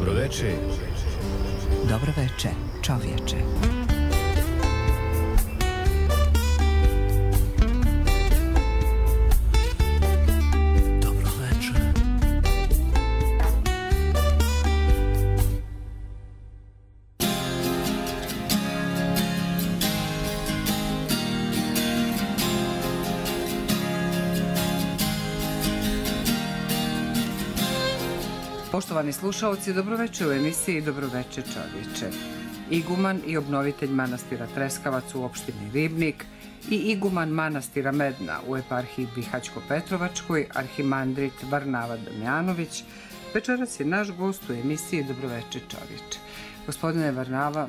Dobroveče. Dobroveče, čovječe. Poštovani slušalci, dobroveče u emisiji Dobroveče čovječe. Iguman i obnovitelj manastira Treskavac u opštini Ribnik i iguman manastira Medna u eparhiji Bihaćko-Petrovačkoj, arhimandrit Varnava Damjanović, večeras je naš gost u emisiji Dobroveče čovječe. Gospodine Varnava,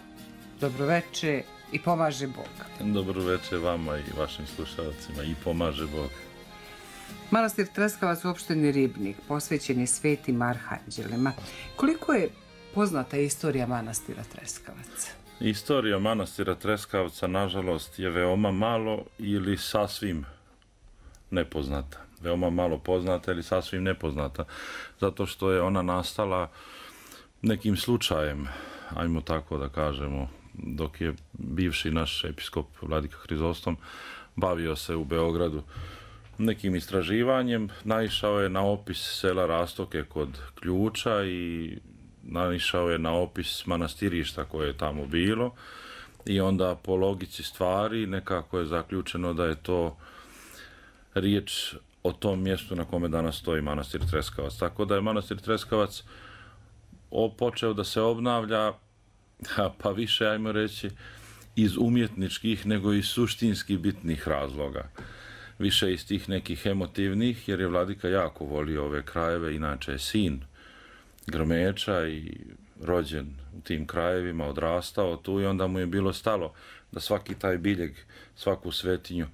dobroveče i pomaže Bog. Dobroveče vama i vašim slušalcima i pomaže Bog. Manastir Treskavac u opštini Ribnik posvećen je svetim arhanđelima. Koliko je poznata istorija manastira Treskavac? Istorija manastira Treskavca, nažalost, je veoma malo ili sasvim nepoznata. Veoma malo poznata ili sasvim nepoznata, zato što je ona nastala nekim slučajem, ajmo tako da kažemo, dok je bivši naš episkop Vladika Hrizostom bavio se u Beogradu nekim istraživanjem, naišao je na opis sela Rastoke kod Ključa i naišao je na opis manastirišta koje je tamo bilo i onda po logici stvari nekako je zaključeno da je to riječ o tom mjestu na kome danas stoji manastir Treskavac. Tako da je manastir Treskavac počeo da se obnavlja, pa više, ajmo reći, iz umjetničkih nego iz suštinski bitnih razloga. Više iz tih nekih emotivnih, jer je Vladika jako volio ove krajeve, inače je sin Grmeča i rođen u tim krajevima, odrastao tu i onda mu je bilo stalo da svaki taj biljeg, svaku svetinju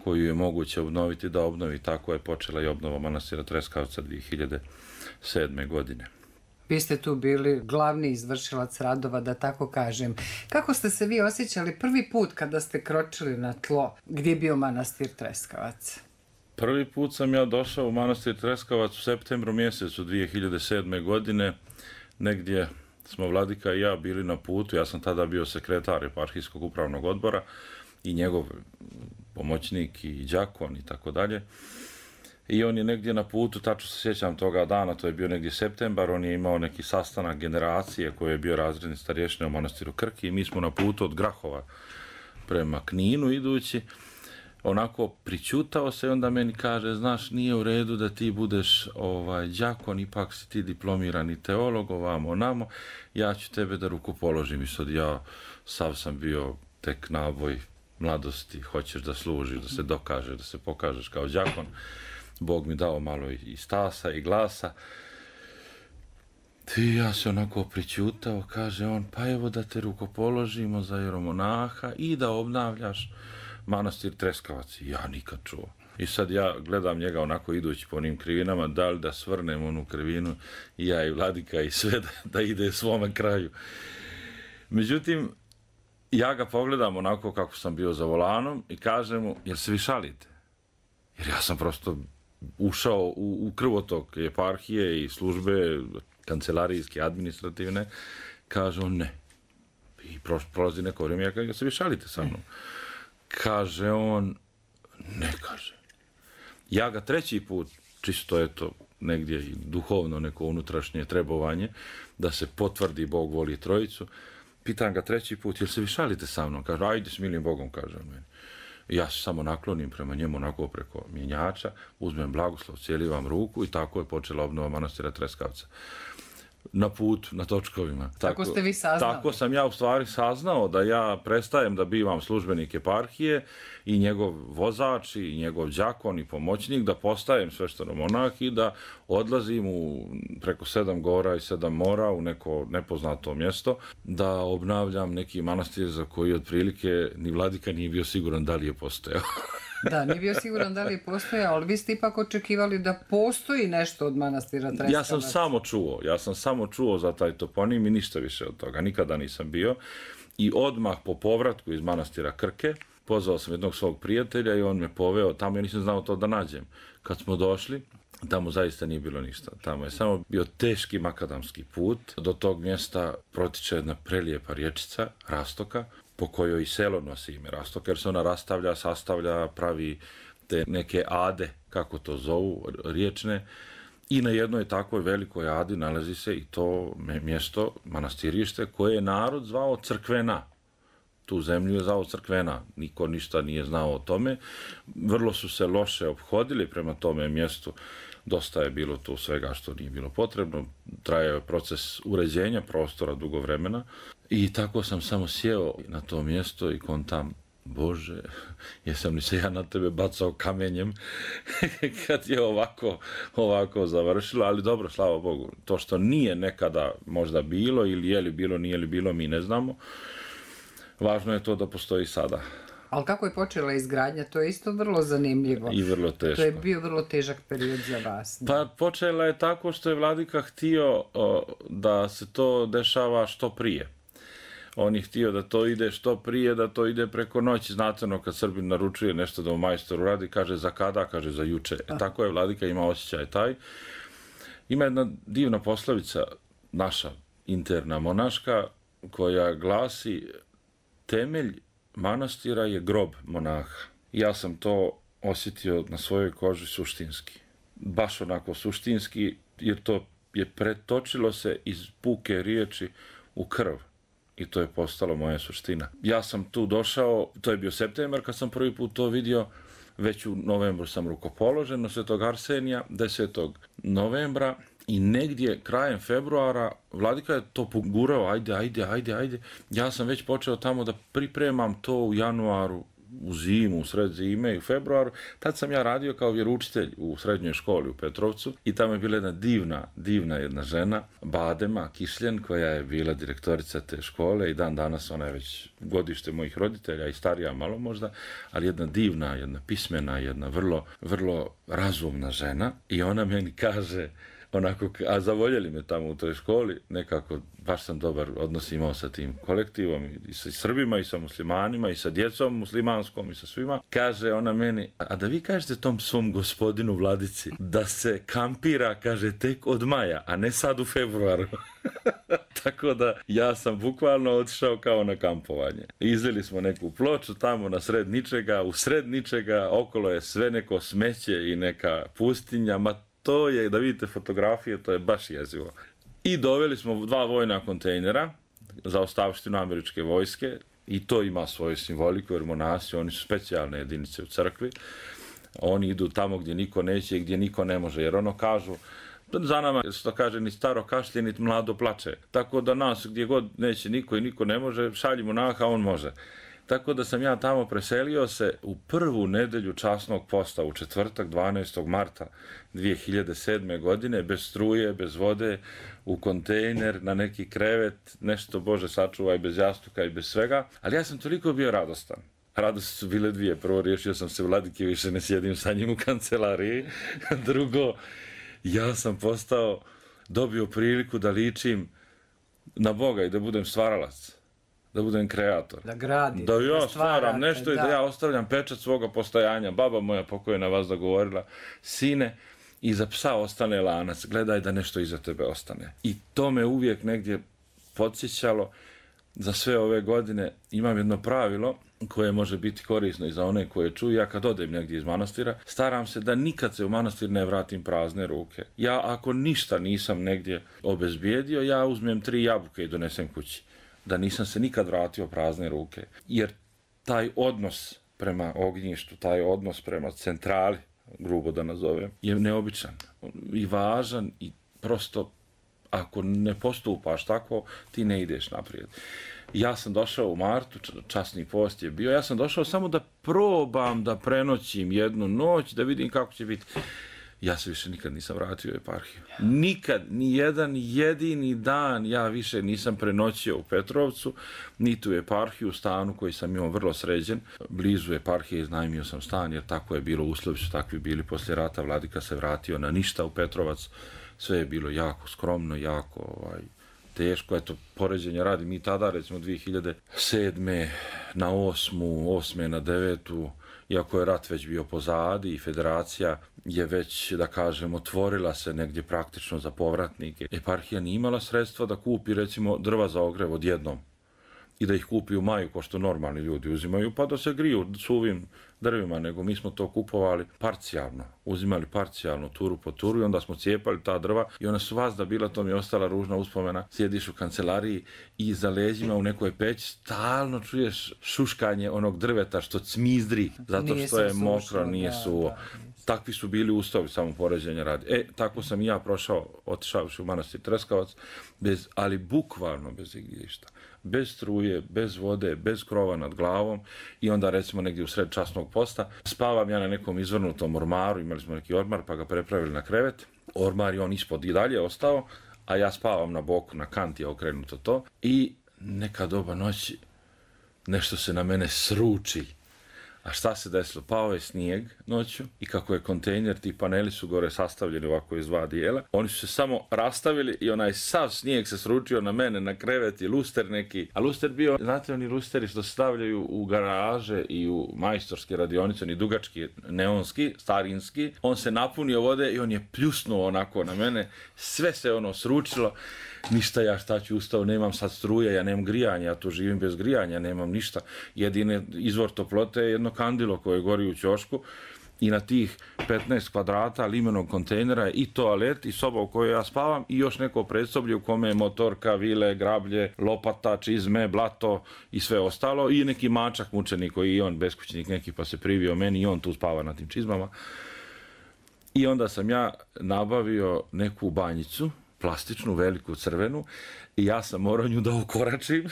koju je moguće obnoviti, da obnovi. Tako je počela i obnova manastira Treskavca 2007. godine. Vi ste tu bili glavni izvršilac radova, da tako kažem. Kako ste se vi osjećali prvi put kada ste kročili na tlo gdje je bio manastir Treskavac? Prvi put sam ja došao u manastir Treskavac u septembru mjesecu 2007. godine. Negdje smo Vladika i ja bili na putu. Ja sam tada bio sekretar eparhijskog upravnog odbora i njegov pomoćnik i đakon i tako dalje. I on je negdje na putu, tačno se sjećam toga dana, to je bio negdje septembar, on je imao neki sastanak generacije koji je bio razredni starješina u manastiru Krki i mi smo na putu od Grahova prema Kninu idući. Onako pričutao se i onda meni kaže, znaš, nije u redu da ti budeš đakon, ipak si ti diplomirani teolog, ovamo, onamo, ja ću tebe da ruku položim. I sad ja sav sam bio tek naboj mladosti, hoćeš da služiš, da se dokažeš, da se pokažeš kao đakon. Bog mi dao malo i stasa i glasa. I ja se onako pričutao, kaže on, pa evo da te rukopoložimo za jeromonaha i da obnavljaš manastir Treskavac. Ja nikad čuo. I sad ja gledam njega onako idući po onim krivinama, da li da svrnem onu krivinu, i ja i Vladika i sve da ide svome kraju. Međutim, ja ga pogledam onako kako sam bio za volanom i kažem mu, jel se vi šalite? Jer ja sam prosto ušao u krvotok eparhije i službe kancelarijske, administrativne. Kaže on ne. I prolazi neko vrijeme, ja kažem, se vi šalite sa mnom? Kaže on, ne, kaže. Ja ga treći put, čisto eto, negdje i duhovno neko unutrašnje trebovanje, da se potvrdi Bog voli trojicu, pitam ga treći put, jel se vi šalite sa mnom? Kaže, ajde s milim Bogom, kaže on meni. Ja se samo naklonim prema njemu onako preko mjenjača, uzmem blagoslov, cjelivam ruku i tako je počela obnova manastira Treskavca. Na putu, na točkovima. Tako ste vi saznali? Tako sam ja u stvari saznao da ja prestajem da bivam službenik eparhije i njegov vozač i njegov đakon i pomoćnik, da postajem sveštenomonah i da odlazim preko 7 gora i 7 mora u neko nepoznato mjesto, da obnavljam neki manastir za koji otprilike ni Vladika nije bio siguran da li je postojao. Da, nije bio siguran da li je postojao, ali vi ste ipak očekivali da postoji nešto od manastira Treskavac. Ja sam samo čuo za taj toponim i ništa više od toga. Nikada nisam bio. I odmah po povratku iz manastira Krke, pozvao sam jednog svog prijatelja i on me poveo tamo, ja nisam znao to da nađem. Kad smo došli, Tamo zaista nije bilo ništa. Tamo je samo bio teški makadamski put. Do tog mjesta protiče jedna prelijepa rječica, Rastoka, po kojoj i selo nosi ime Rastoka, jer se ona rastavlja, sastavlja, pravi te neke ade, kako to zovu, riječne. I na jednoj takvoj velikoj adi nalazi se i to mjesto, manastirište, koje je narod zvao Crkvena. Tu zemlju je zvao Crkvena, niko ništa nije znao o tome. Vrlo su se loše ophodili prema tome mjestu, dosta je bilo tu svega što nije bilo potrebno, trajao je proces uređenja prostora dugo vremena i tako sam samo sjeo na to mjesto i kontam, Bože, jesam li se ja na tebe bacao kamenjem kad je ovako završilo, ali dobro, slava Bogu. To što nije nekada možda bilo ili je li bilo, nije li bilo, mi ne znamo. Važno je to da postoji sada. Ali kako je počela izgradnja, to je isto vrlo zanimljivo. I vrlo teško. To je bio vrlo težak period za vas. Pa počela je tako što je vladika htio da se to dešava što prije. On je htio da to ide što prije, da to ide preko noći. Znate ono kad Srbin naručuje nešto da u majstoru radi, kaže za kada, kaže za juče. Tako je vladika ima osjećaj taj. Ima jedna divna poslovica, naša interna monaška, koja glasi: temelj manastira je grob monaha. Ja sam to osjetio na svojoj koži suštinski. Baš onako suštinski, jer to je pretočilo se iz puke riječi u krv. I to je postalo moja suština. Ja sam tu došao, to je bio septembar kad sam prvi put to vidio, već u novembru sam rukopoložen na Svetog Arsenija, 10. novembra, i negdje krajem februara vladika je to pogurao, ajde. Ja sam već počeo tamo da pripremam to u januaru, u zimu, u sred zime i u februaru. Tad sam ja radio kao vjeroučitelj u srednjoj školi u Petrovcu i tamo je bila jedna divna jedna žena, Badema Kišljen, koja je bila direktorica te škole i dan danas ona je već godište mojih roditelja i starija malo možda, ali jedna divna, jedna pismena, jedna vrlo razumna žena i ona meni kaže, onako, a zavoljeli me tamo u toj školi, nekako baš sam dobar odnos imao sa tim kolektivom i sa Srbima i sa muslimanima i sa djecom muslimanskom i sa svima. Kaže ona meni, a da vi kažete tom svom gospodinu vladici da se kampira, kaže, tek od maja, a ne sad u februaru. Tako da ja sam bukvalno otišao kao na kampovanje. Izveli smo neku ploču tamo na sred ničega, u sred ničega, okolo je sve neko smeće i neka pustinja, to je, da vidite fotografije, to je baš jezivo. I doveli smo 2 vojna kontejnera za ostavštinu američke vojske i to ima svoju simboliku, jer monasi, oni su specijalne jedinice u crkvi. Oni idu tamo gdje niko neće i gdje niko ne može, jer ono kažu, za nama, što kaže, ni staro kašlje, ni mlado plače. Tako da nas gdje god neće niko i niko ne može, šalji monaha, on može. Tako da sam ja tamo preselio se u prvu nedelju časnog posta, u četvrtak 12. marta 2007. godine, bez struje, bez vode, u kontejner, na neki krevet, nešto, Bože sačuvaj, bez jastuka i bez svega. Ali ja sam toliko bio radostan. Radosti su bile dvije. Prvo, riješio sam se vladike, više ne sjedim sa njim u kancelariji. Drugo, ja sam dobio priliku da ličim na Boga i da budem stvaralac. Da budem kreator. Da gradim. Da ja stvaram nešto i da ja ostavljam pečat svoga postojanja. Baba moja pokojna vas dogovorila, sine, iza psa ostane lanac, gledaj da nešto iza tebe ostane. I to me uvijek negdje podsjećalo. Za sve ove godine imam jedno pravilo koje može biti korisno i za one koje čuju. Ja kad odem negdje iz manastira, staram se da nikad se u manastir ne vratim prazne ruke. Ja ako ništa nisam negdje obezbijedio, ja uzmem 3 jabuke i donesem kući. Da nisam se nikad vratio prazne ruke. Jer taj odnos prema ognjištu, taj odnos prema centrali, grubo da nazovem, je neobičan i važan i prosto ako ne postupaš tako, ti ne ideš naprijed. Ja sam došao u martu, časni post je bio, ja sam došao samo da probam da prenoćim jednu noć, da vidim kako će biti. Ja se više nikad nisam vratio u eparhiju. Nikad, ni jedan jedini dan ja više nisam prenoćio u Petrovcu, niti u eparhiju, u stanu koji sam imao vrlo sređen. Blizu eparhije iznajmio sam stan, jer tako je bilo, uslovi su takvi bili. Poslije rata vladika se vratio na ništa u Petrovac. Sve je bilo jako skromno, jako teško. Eto, poređenja radi, mi tada, recimo 2007. na 8. na 9. iako je rat već bio pozadi i federacija je već, da kažem, otvorila se negdje praktično za povratnike. Eparhija nije imala sredstva da kupi, recimo, drva za ogrev odjednom i da ih kupi u maju, ko što normalni ljudi uzimaju, pa da se griju suvim drvima, nego mi smo to kupovali parcijalno, uzimali parcijalno, turu po turu i onda smo cijepali ta drva i ona su vazda bila, to mi je ostala ružna uspomena, sjediš u kancelariji i za leđima u nekoj peći stalno čuješ šuškanje onog drveta što cmizdri, zato što je mokro, nije suvo. Takvi su bili uslovi, samo poređenja radi. Tako sam i ja prošao, otišavši u manastir Treskavac, ali bukvalno bez igdješta. Bez struje, bez vode, bez krova nad glavom i onda recimo negdje u sred časnog posta spavam ja na nekom izvrnutom ormaru, imali smo neki ormar pa ga prepravili na krevet, ormar je on ispod i dalje ostao, a ja spavam na boku, na kanti je okrenuto to i neka doba noći nešto se na mene sruči. A šta se desilo? Pao je snijeg noću i kako je kontejner, ti paneli su gore sastavljeni ovako iz dva dijela, oni su se samo rastavili i onaj sav snijeg se sručio na mene, na krevet i luster neki. A luster bio, znate oni lusteri što se stavljaju u garaže i u majstorske radionice, oni dugački, neonski, starinski, on se napunio vode i on je pljusnuo onako na mene, sve se ono sručilo. Ništa, ja šta ću, ustao, nemam sad struje, ja nemam grijanja, ja tu živim bez grijanja, nemam ništa. Jedini izvor toplote je jedno kandilo koje gori u ćošku i na tih 15 kvadrata limenog kontejnera je i toalet i soba u kojoj ja spavam i još neko predsoblje u kome je motorka, vile, grablje, lopata, čizme, blato i sve ostalo i neki mačak mučenik koji i on beskućnik neki pa se privio meni i on tu spava na tim čizmama. I onda sam ja nabavio neku banjicu, plastičnu, veliku, crvenu i ja sam morao nju da okoračim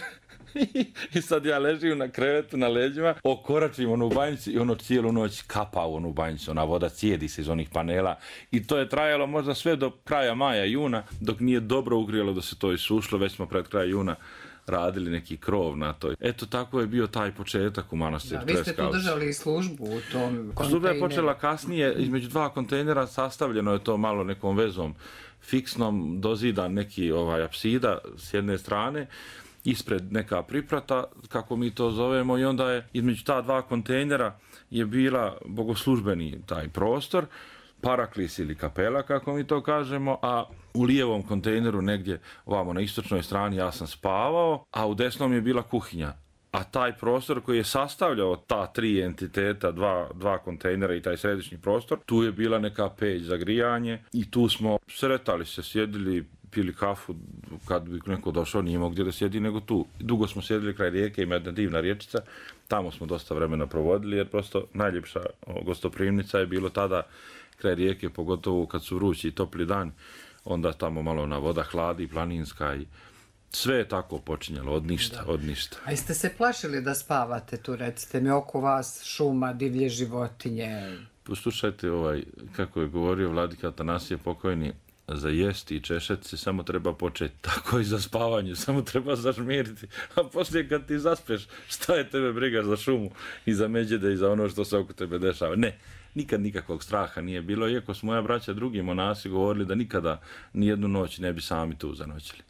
i sad ja ležim na krevetu na leđima, okoračim onu banjicu i ono cijelu noć kapa u onu banjicu, ona voda cijedi se iz onih panela i to je trajalo možda sve do kraja maja, juna, dok nije dobro ugrijalo da se to isušlo, već smo pred kraj juna radili neki krov na to. Eto, tako je bio taj početak u manastiru Treskavac. Vi ste tu držali službu u tom kontejneru. Služba je počela kasnije, između dva kontejnera sastavljeno je to malo nekom vezom fiksnom, dozidan neki apsida s jedne strane, ispred neka priprata, kako mi to zovemo, i onda je između ta dva kontejnera je bila bogoslužbeni taj prostor, paraklis ili kapela, kako mi to kažemo, a u lijevom kontejneru negdje ovamo na istočnoj strani ja sam spavao, a u desnom je bila kuhinja. A taj prostor koji je sastavljao ta tri entiteta, dva kontejnera i taj središnji prostor, tu je bila neka peć za grijanje i tu smo sretali se, sjedili, pili kafu, kad bi neko došao nije imao gdje da sjedi nego tu. Dugo smo sjedili kraj rijeke, ima jedna divna riječica, tamo smo dosta vremena provodili jer prosto najljepša gostoprimnica je bilo tada kraj rijeke, pogotovo kad su vrući i topli dan, onda tamo malo na voda hladi, planinska i sve je tako počinjalo, od ništa. A jeste se plašili da spavate tu, recite mi, oko vas šuma, divlje životinje? Poslušajte, kako je govorio Vladika Atanasije pokojni, za jesti i češeti se samo treba početi, tako i za spavanje, samo treba zažmiriti, a poslije kad ti zaspeš, šta je tebe briga za šumu i za međede i za ono što se oko tebe dešava? Ne, nikad nikakvog straha nije bilo, iako su moja braća drugi monasi govorili da nikada nijednu noć ne bi sami tu zanoćili.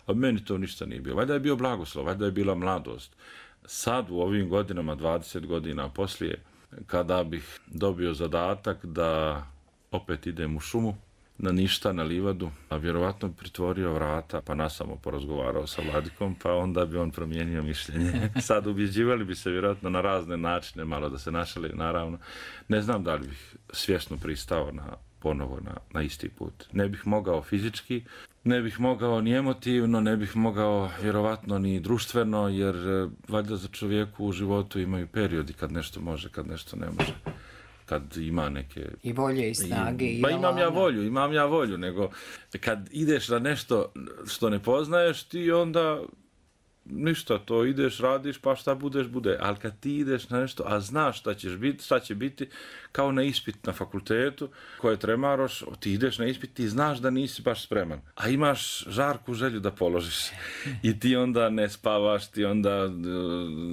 A meni to ništa nije bilo. Valjda je bio blagoslov, valjda je bila mladost. Sad u ovim godinama, 20 godina poslije, kada bih dobio zadatak da opet idem u šumu, na ništa, na livadu, a vjerovatno bi pritvorio vrata, pa nasamo porazgovarao sa Vladikom, pa onda bi on promijenio mišljenje. Sad ubjeđivali bi se vjerojatno na razne načine, malo da se našali, naravno. Ne znam da li bih svjesno pristao ponovo na isti put. Ne bih mogao fizički, ne bih mogao ni emotivno, ne bih mogao vjerovatno ni društveno, jer valjda za čovjeku u životu imaju periodi kad nešto može, kad nešto ne može. Kad ima neke... I volje i snage. Pa imam ja volju, nego kad ideš na nešto što ne poznaješ, ti onda ništa, to ideš, radiš, pa šta bude. Ali kad ti ideš na nešto, a znaš šta će biti, kao na ispit na fakultetu, koje tremaroš, ti ideš na ispit, ti znaš da nisi baš spreman, a imaš žarku želju da položiš. I ti onda ne spavaš, ti onda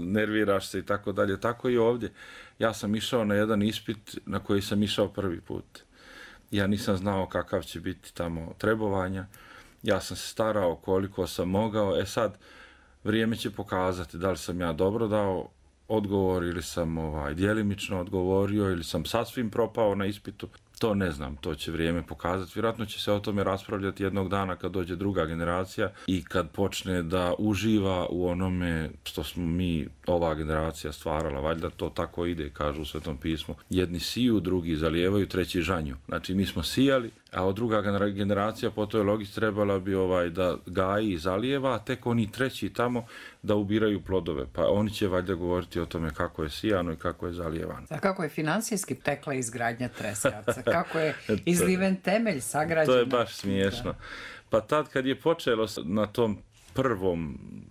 nerviraš se i tako dalje. Tako i ovdje. Ja sam išao na jedan ispit na koji sam išao prvi put. Ja nisam znao kakav će biti tamo trebovanja. Ja sam se starao koliko sam mogao. Sad, vrijeme će pokazati da li sam ja dobro dao odgovor ili sam djelimično odgovorio ili sam sasvim propao na ispitu. To ne znam, to će vrijeme pokazati. Vjerojatno će se o tome raspravljati jednog dana kad dođe druga generacija i kad počne da uživa u onome što smo mi, ova generacija, stvarala. Valjda to tako ide, kažu u Svetom pismu. Jedni siju, drugi zalijevaju, treći žanju. Znači mi smo sijali, a druga generacija po toj logici trebala bi da gaji i zalijeva, a tek oni treći tamo da ubiraju plodove. Pa oni će valjda govoriti o tome kako je sijano i kako je zalijevano. A kako je financijski tekla izgradnja Treskavca? Kako je izliven temelj sagrađen? To je baš smiješno. Pa tad kad je počelo na tom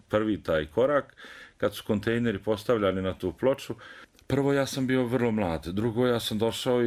prvi taj korak, kad su kontejneri postavljali na tu ploču, prvo ja sam bio vrlo mlad, drugo ja sam došao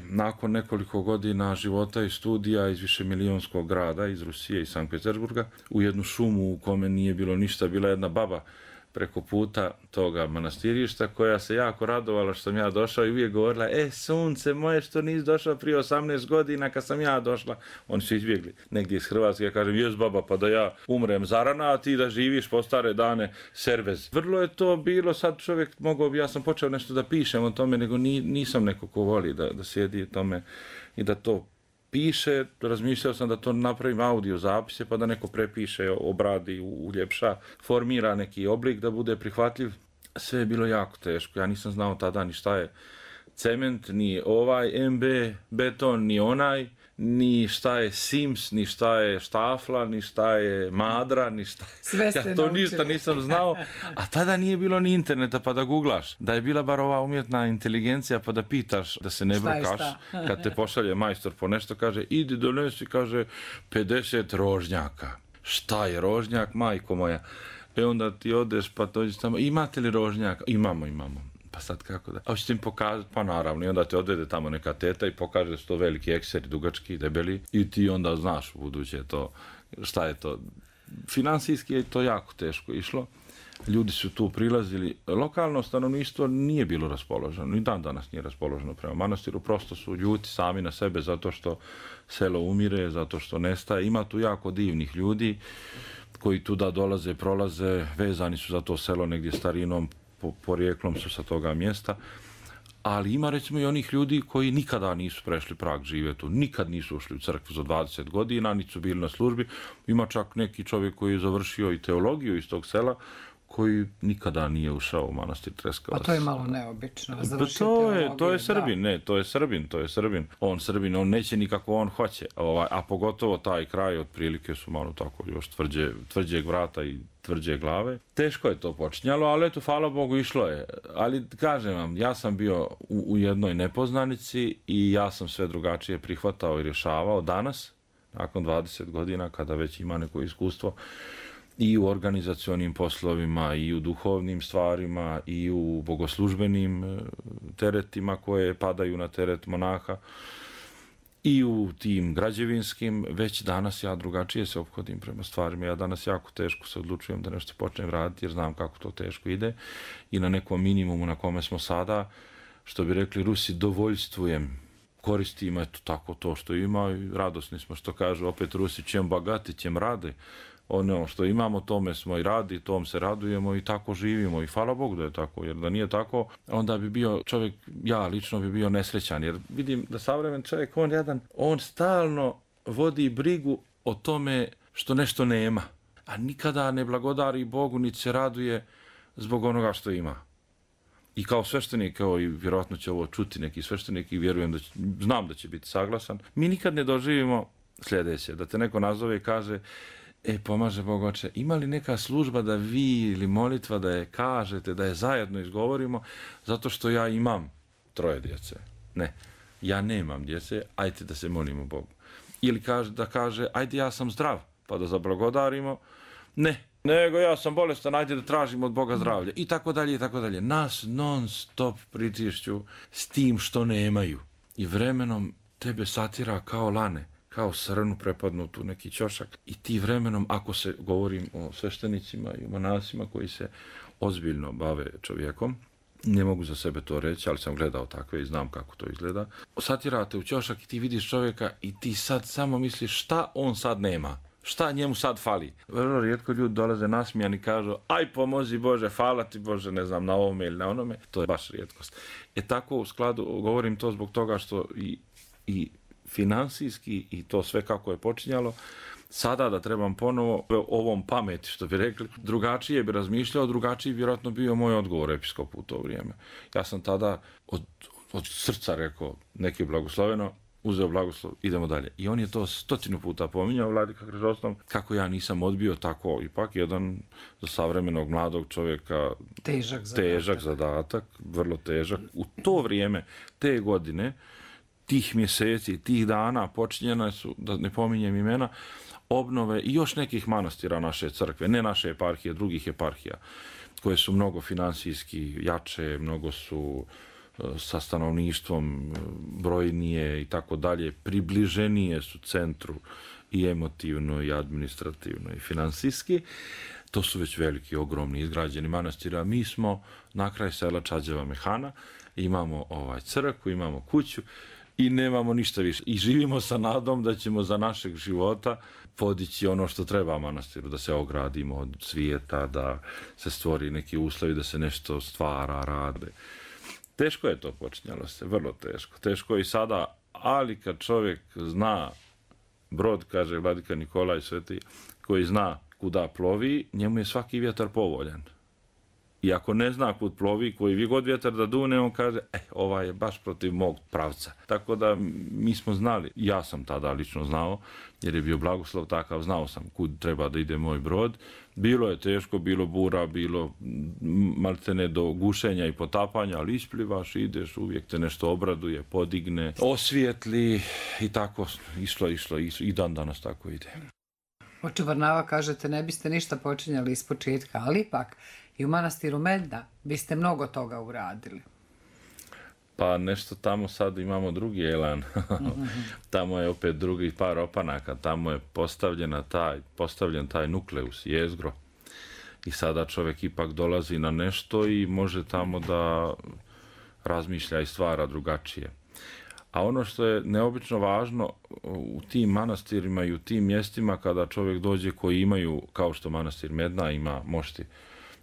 nakon nekoliko godina života i studija iz višemilijonskog grada, iz Rusije i Sankt Petersburga, u jednu šumu u kome nije bilo ništa, bila jedna baba preko puta toga manastirišta koja se jako radovala što sam ja došao i uvijek govorila, sunce moje što nisi došao prije 18 godina kad sam ja došla. Oni su izbjegli negdje iz Hrvatske, ja kažem, jes baba, pa da ja umrem zarana, a ti da živiš po stare dane servez. Vrlo je to bilo, sad čovjek mogao bi, ja sam počeo nešto da pišem o tome, nego nisam neko ko voli da sjedi u tome i da to piše, razmišljao sam da to napravim audio zapise pa da neko prepiše, obradi, uljepša, formira neki oblik da bude prihvatljiv. Sve je bilo jako teško, ja nisam znao tada ni šta je cement, ni MB beton, ni onaj, ni šta je Sims, ni šta je štafla, ni šta je madra, ni šta je... Ja to ništa nisam znao, a tada nije bilo ni interneta pa da googlaš. Da je bila bar ova umjetna inteligencija pa da pitaš, da se ne brkaš, kad te pošalje majstor po nešto, kaže, idi donesi, kaže, 50 rožnjaka. Šta je rožnjak, majko moja? Onda ti odeš pa dođeš tamo, imate li rožnjaka? Imamo. Pa sad kako da? A hoćete im pokazati? Pa naravno. I onda te odvede tamo neka teta i pokaže da su to veliki ekseri, dugački, debeli. I ti onda znaš u buduće to, šta je to. Financijski je to jako teško išlo. Ljudi su tu prilazili. Lokalno stanovništvo nije bilo raspoloženo. Ni dan danas nije raspoloženo prema manastiru. Prosto su ljuti sami na sebe zato što selo umire, zato što nestaje. Ima tu jako divnih ljudi koji tu da dolaze, prolaze, vezani su za to selo negdje starinom, porijeklom su sa toga mjesta, ali ima recimo i onih ljudi koji nikada nisu prešli prag živjeti tu, nikad nisu ušli u crkvu za 20 godina, niti su bili na službi. Ima čak neki čovjek koji je završio i teologiju iz tog sela, koji nikada nije ušao u manastir Treskavac. Pa to je malo neobično. To je Srbin. On Srbin, on neće nikako on hoće. A pogotovo taj kraj, otprilike su malo tako još tvrđeg vrata i tvrđe glave. Teško je to počinjalo, ali eto, hvala Bogu, išlo je. Ali kažem vam, ja sam bio u jednoj nepoznanici i ja sam sve drugačije prihvatao i rješavao danas, nakon 20 godina, kada već ima neko iskustvo, i u organizacionim poslovima, i u duhovnim stvarima, i u bogoslužbenim teretima koje padaju na teret monaha, i u tim građevinskim. Već danas ja drugačije se ophodim prema stvarima. Ja danas jako teško se odlučujem da nešto počnem raditi jer znam kako to teško ide i na nekom minimumu na kome smo sada, što bi rekli Rusi, dovoljstvujem. Koristim eto tako to što ima i radosni smo, što kažu opet Rusi, čem bagati, čem rade. Ono što imamo, tome smo i radi, tom se radujemo i tako živimo i hvala Bogu da je tako, jer da nije tako, onda bi bio čovjek, ja lično bi bio nesrećan, jer vidim da savremen čovjek, on stalno vodi brigu o tome što nešto nema, a nikada ne blagodari Bogu, niti se raduje zbog onoga što ima. I kao sveštenik, i vjerojatno će ovo čuti neki sveštenik i vjerujem znam da će biti saglasan, mi nikad ne doživimo sljedeće, da te neko nazove i kaže, pomaže Bog oče, ima li neka služba da vi ili molitva da je kažete, da je zajedno izgovorimo, zato što ja imam 3 djece. Ne, ja nemam djece, ajde da se molimo Bogu. Ili da kaže, ajde ja sam zdrav, pa da zablagodarimo. Ne, nego ja sam bolestan, ajde da tražimo od Boga zdravlje. I tako dalje, i tako dalje. Nas non stop pritišću s tim što nemaju. I vremenom tebe satira kao lane, kao srnu prepadnutu neki ćošak. I ti vremenom, ako se govorim o sveštenicima i o monasima koji se ozbiljno bave čovjekom, ne mogu za sebe to reći, ali sam gledao takve i znam kako to izgleda. Satirate u ćošak i ti vidiš čovjeka i ti sad samo misliš šta on sad nema. šta njemu sad fali? Vrlo rijetko ljudi dolaze nasmijani i kažu aj pomozi Bože, hvala ti Bože, ne znam, na ovome ili na onome. To je baš rijetkost. Tako u skladu, govorim to zbog toga što i financijski i to sve kako je počinjalo, sada da trebam ponovo ovom pameti, što bi rekli, drugačije bi razmišljao, drugačiji bi vjerojatno bio moj odgovor episkopu u to vrijeme. Ja sam tada od srca rekao, neki blagosloveno, uzeo blagoslov, idemo dalje. I on je to 100 puta pominjao, Vladika Hrizostovom, kako ja nisam odbio tako, ipak jedan za savremenog mladog čovjeka težak zadatak, vrlo težak. U to vrijeme, te godine, tih mjeseci, tih dana počinjena su, da ne pominjem imena, obnove i još nekih manastira naše crkve, ne naše eparhije, drugih eparhija, koje su mnogo financijski jače, mnogo su sa stanovništvom brojnije i tako dalje, približenije su centru i emotivno i administrativno i financijski. To su već veliki, ogromni, izgrađeni manastiri, a mi smo na kraj sela Čađeva Mehana, imamo crkvu, imamo kuću i nemamo ništa više. I živimo sa nadom da ćemo za našeg života podići ono što treba manastiru, da se ogradimo od svijeta, da se stvori neki uslovi, da se nešto stvara, rade. Teško je to počinjalo se, vrlo teško. Teško je i sada, ali kad čovjek zna brod, kaže Vladika Nikolaj Sveti, koji zna kuda plovi, njemu je svaki vjetar povoljan. I ako ne zna kud plovi, koji vi god vjetar da dune, on kaže, ovaj je baš protiv mog pravca. Tako da mi smo znali, ja sam tada lično znao, jer je bio blagoslov takav, znao sam kud treba da ide moj brod. Bilo je teško, bilo bura, bilo maltene do gušenja i potapanja, ali isplivaš, ideš, uvijek te nešto obraduje, podigne, osvijetli i tako išlo i dan danas tako ide. Oče Varnava, kažete, ne biste ništa počinjali iz početka, ali ipak i u manastiru Medna biste mnogo toga uradili. Pa nešto tamo sad imamo drugi elan. Tamo je opet drugi par opanaka. Tamo je postavljen taj nukleus, jezgro. I sada čovjek ipak dolazi na nešto i može tamo da razmišlja i stvara drugačije. A ono što je neobično važno u tim manastirima i u tim mjestima kada čovjek dođe koji imaju, kao što manastir Medna ima mošti,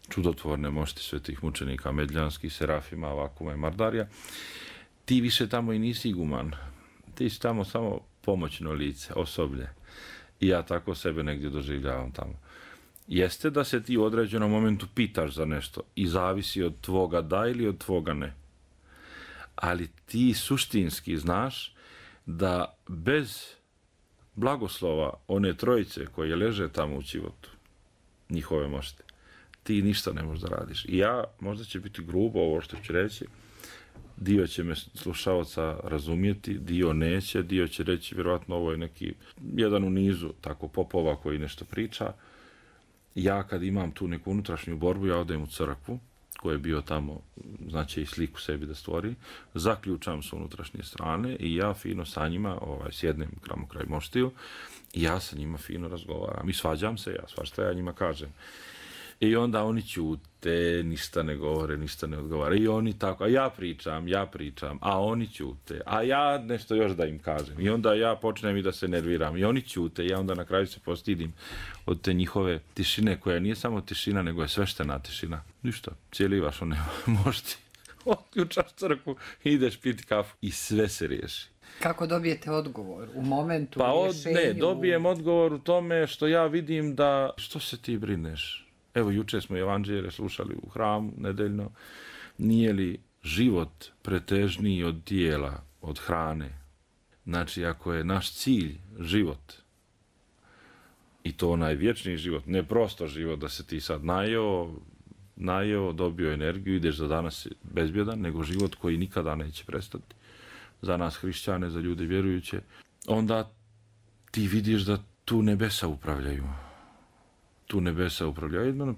čudotvorne mošti svetih mučenika medljanskih, Serafima, Vakuma i Mardarija, ti više tamo i nisi iguman. Ti si tamo samo pomoćno lice, osoblje. I ja tako sebe negdje doživljavam tamo. Jeste da se ti u određenom momentu pitaš za nešto i zavisi od tvoga da ili od tvoga ne. Ali ti suštinski znaš da bez blagoslova one trojice koje leže tamo u Čivotu, njihove mošte, ti ništa ne možeš da radiš. I ja, možda će biti grubo ovo što ću reći, dio će me slušalca razumjeti, dio neće, dio će reći vjerojatno ovo je neki jedan u nizu tako popova koji nešto priča. Ja kad imam tu neku unutrašnju borbu, ja odem u crkvu, koji je bio tamo, znači i sliku sebi da stvori, zaključam s unutrašnje strane i ja fino sa njima sjednem kraj moštiju i ja sa njima fino razgovaram. I svađam se, svašta ja njima kažem. I onda oni ćute, ništa ne govore, ništa ne odgovara. I oni tako, a ja pričam, a oni ćute, a ja nešto još da im kažem. I onda ja počnem i da se nerviram. I oni ćute, i ja onda na kraju se postidim od te njihove tišine, koja nije samo tišina, nego je sveštena tišina. Ništa, cijeli vaš on nema možda. Otključaš crkvu, ideš piti kafu i sve se riješi. Kako dobijete odgovor? U momentu rješenju? Ne, dobijem odgovor u tome što ja vidim da, što se ti brineš? Evo, jučer smo evanđelje slušali u hramu nedeljno. Nije li život pretežniji od tijela, od hrane? Znači, ako je naš cilj život, i to onaj vječni život, ne prosto život da se ti sad najeo, dobio energiju, ideš za danas bezbjedan, nego život koji nikada neće prestati. Za nas hrišćane, za ljude vjerujuće, onda ti vidiš da tu nebesa upravljaju.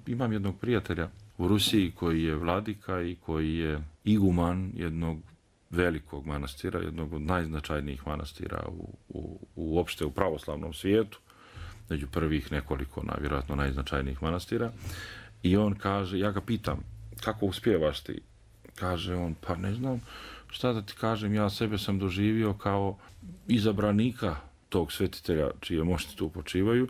Imam jednog prijatelja u Rusiji koji je vladika i koji je iguman jednog velikog manastira, jednog od najznačajnijih manastira uopšte u pravoslavnom svijetu, među prvih nekoliko, vjerojatno najznačajnijih manastira. I on kaže, ja ga pitam, kako uspijevaš ti? Kaže on, pa ne znam šta da ti kažem, ja sebe sam doživio kao izabranika tog svetitelja čije mošti tu počivaju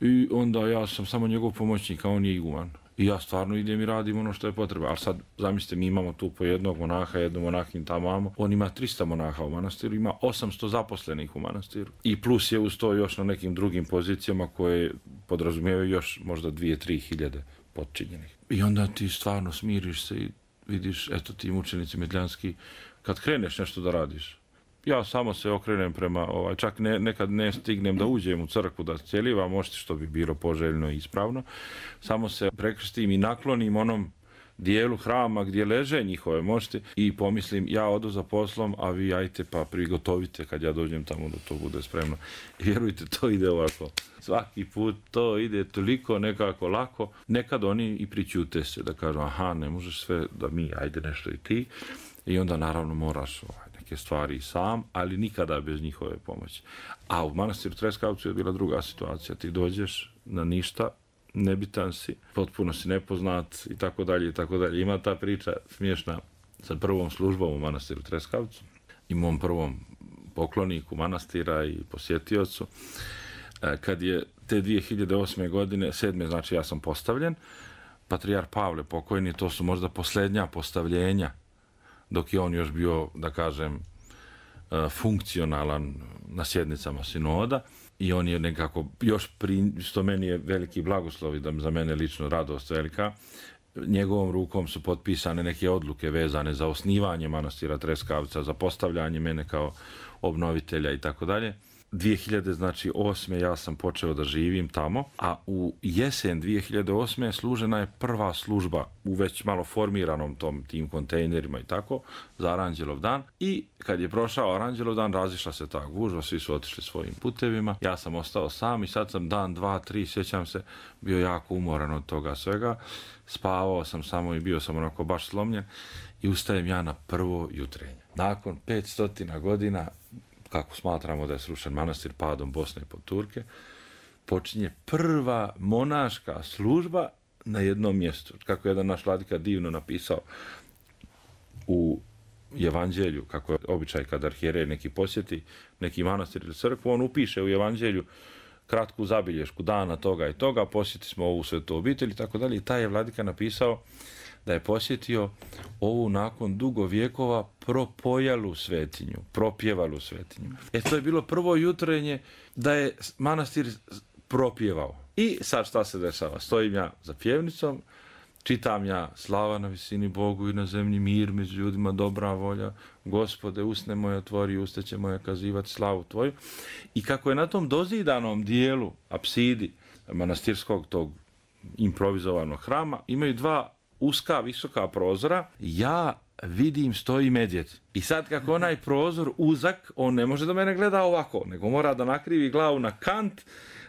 i onda ja sam samo njegov pomoćnik, a on je iguman. I ja stvarno idem i radim ono što je potrebno. Ali sad, zamislite, mi imamo tu po jednog monaha, jednu monahinju tamo. On ima 300 monaha u manastiru, ima 800 zaposlenih u manastiru. I plus je uz to još na nekim drugim pozicijama koje podrazumijevaju još možda 2-3 hiljade podčinjenih. I onda ti stvarno smiriš se i vidiš, eto ti mučenici medljanski, kad kreneš nešto da radiš. Ja samo se okrenem prema, čak nekad ne stignem da uđem u crkvu da cjelivam mošti, što bi bilo poželjno i ispravno. Samo se prekrstim i naklonim onom dijelu hrama gdje leže njihove mošti i pomislim, ja odu za poslom, a vi ajte pa prigotovite kad ja dođem tamo da to bude spremno. I vjerujte, to ide ovako. Svaki put to ide toliko nekako lako. Nekad oni i pričute se da kažu, aha, ne možeš sve da mi, ajde nešto i ti. I onda naravno moraš neke stvari i sam, ali nikada bez njihove pomoći. A u manastiru Treskavcu je bila druga situacija. Ti dođeš na ništa, nebitan si, potpuno si nepoznat i tako dalje i tako dalje. Ima ta priča smiješna sa prvom službom u manastiru Treskavcu i mom prvom pokloniku manastira i posjetiocu. Kad je te 2008. godine, 7. znači ja sam postavljen, patrijar Pavle pokojni, to su možda posljednja postavljenja dok je on još bio, da kažem, funkcionalan na sjednicama sinoda i on je nekako, još što meni je veliki blagoslov i da za mene lično radost velika, njegovom rukom su potpisane neke odluke vezane za osnivanje manastira Treskavca, za postavljanje mene kao obnovitelja i tako dalje. 2008. ja sam počeo da živim tamo, a u jesen 2008. služena je prva služba u već malo formiranom tim kontejnerima i tako, za Aranđelov dan. I kad je prošao Aranđelov dan, razišla se ta gužva, svi su otišli svojim putevima. Ja sam ostao sam i sad sam dan, 2, 3, sjećam se, bio jako umoran od toga svega. Spavao sam samo i bio sam onako baš slomljen i ustajem ja na prvo jutrenje. Nakon 500 godina, kako smatramo da je srušen manastir padom Bosne pod Turke, počinje prva monaška služba na jednom mjestu. Kako je jedan naš vladika divno napisao u Evanđelju, kako je običaj kad arhijerej neki posjeti neki manastir ili crkvu, on upiše u Evanđelju kratku zabilješku dana toga i toga, posjeti smo ovu svetu obitelj i tako dalje. I taj je vladika napisao da je posjetio ovu nakon dugo vjekova propojalu svetinju, propjevalu svetinju. To je bilo prvo jutrenje da je manastir propjevao. I sad šta se dešava? Stojim ja za pjevnicom, čitam ja slava na visini Bogu i na zemlji mir među ljudima, dobra volja. Gospode, usne moje otvori, usta će moje kazivati slavu tvoju. I kako je na tom dozidanom dijelu, apsidi manastirskog tog improvizovanog hrama, imaju dva uska, visoka prozora, ja vidim stoji medvjed. I sad kako onaj prozor uzak, on ne može da mene gleda ovako, nego mora da nakrivi glavu na kant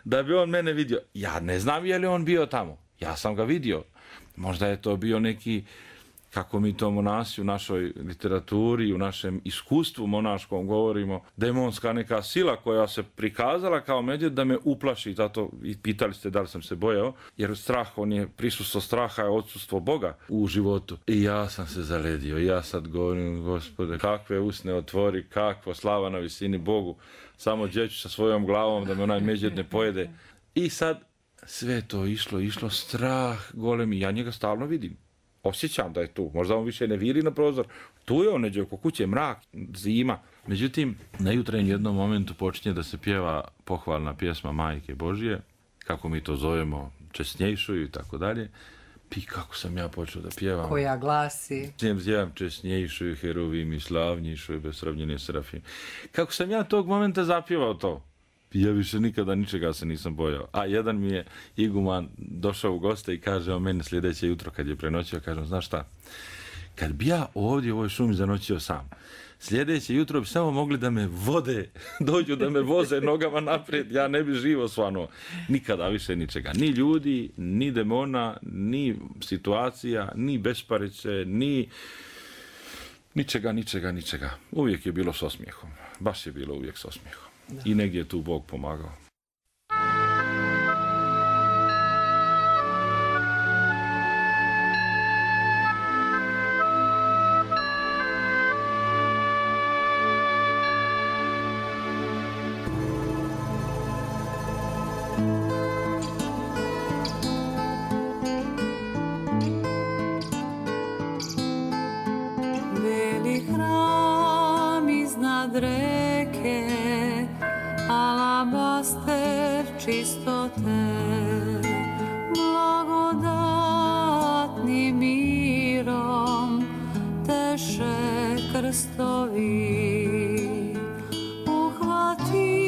da bi on mene vidio. Ja ne znam je li on bio tamo. Ja sam ga vidio. Možda je to bio neki, kako mi to monasi u našoj literaturi, u našem iskustvu monaškom govorimo, demonska neka sila koja se prikazala kao medvjed da me uplaši. Zato i pitali ste da li sam se bojao, jer strah, on je prisustvo straha, je odsustvo Boga u životu. I ja sam se zaledio. I ja sad govorim, Gospode, kakve usne otvori, kakva slava na visini Bogu. Samo djeću sa svojom glavom da me onaj medvjed ne pojede. I sad sve to išlo, strah golemi. Ja njega stalno vidim. Osjećam da je tu. Možda on više ne viri na prozor. Tu je on neđe oko kuće, mrak, zima. Međutim, na jutrenju jednom momentu počinje da se pjeva pohvalna pjesma Majke Božije, kako mi to zovemo, česnjejšuju i tako dalje. I kako sam ja počeo da pjevam. Koja glasi? Zjem česnjejšuju, heruvim i slavnjišuju, besravnjeni serafim. Kako sam ja tog momenta zapjevao to. Ja više nikada ničega se nisam bojao. A jedan mi je iguman došao u goste i kaže o meni sljedeće jutro kad je prenoćio, kažem, znaš šta, kad bi ja ovdje u ovoj šumi zanoćio sam, sljedeće jutro bi samo mogli da me vode, dođu da me voze nogama naprijed, ja ne bi živo svanuo. Nikada više ničega. Ni ljudi, ni demona, ni situacija, ni besparice, ni ničega. Uvijek je bilo s osmijehom. Baš je bilo uvijek s osmijehom. Da. I negdje je tu Bog pomagao. alabaster čistote, blagodatnim mirom teše krstovi. Uhvati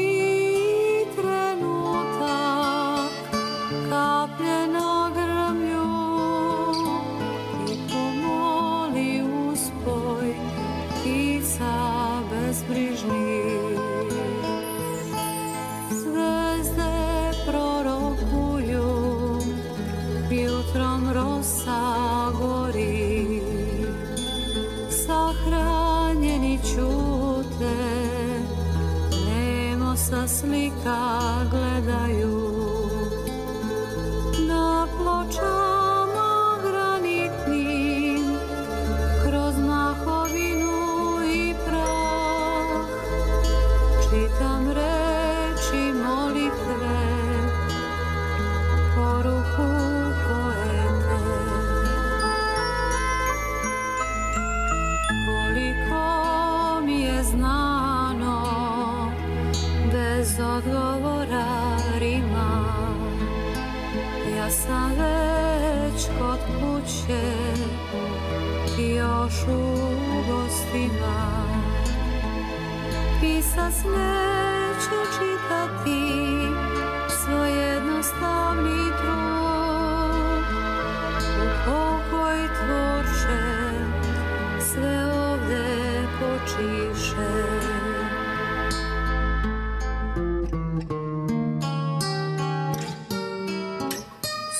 trenutak kaplje na grmlju i pomoli uspoj ptica bezbrižnih. Zvezde prorokuju, jutrom rosa gori, sahranjeni ćute, nemo sa slika gledaju. Na pločama granitnim, kroz mahovinu i prah, čitam reči molitve, poruku poete. Koliko mi je znano, bez odgovora rima, ja sam već kod kuće i još u gostima. Pisac neće čitati svoj jednostavni trud. U pokoj tvorče sve ovde počiše.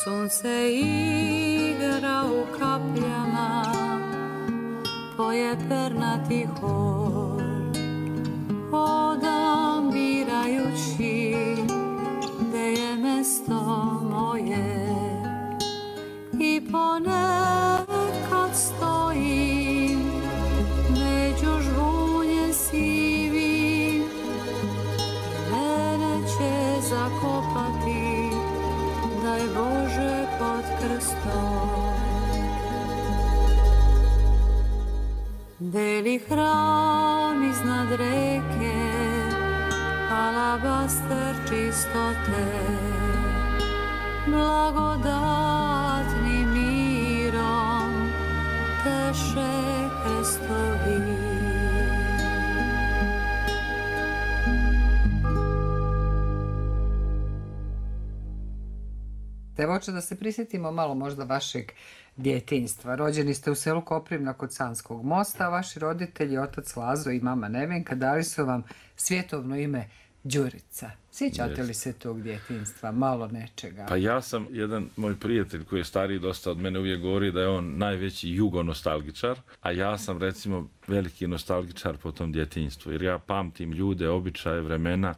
Sunce igra u kapljama, poje pernati hor, hodam birajući gde je mesto moje i ponekad stojim među žbunje sivim, mene će zakopati, daj Bože, pod krstom. Beli hram iznad reke, alabaster čistote, blagodatnim mirom teše krstovi. Devoče, da se prisjetimo malo možda vašeg djetinjstva. Rođeni ste u selu Koprivna kod Sanskog mosta, a vaši roditelji, otac Lazo i mama Nevenka, dali su vam svjetovno ime Đurica. Sjećate li se tog djetinjstva, malo nečega? Pa ja sam, jedan moj prijatelj koji je stariji dosta od mene uvijek govori da je on najveći jugonostalgičar, a ja sam recimo veliki nostalgičar po tom djetinjstvu, jer ja pamtim ljude, običaje, vremena,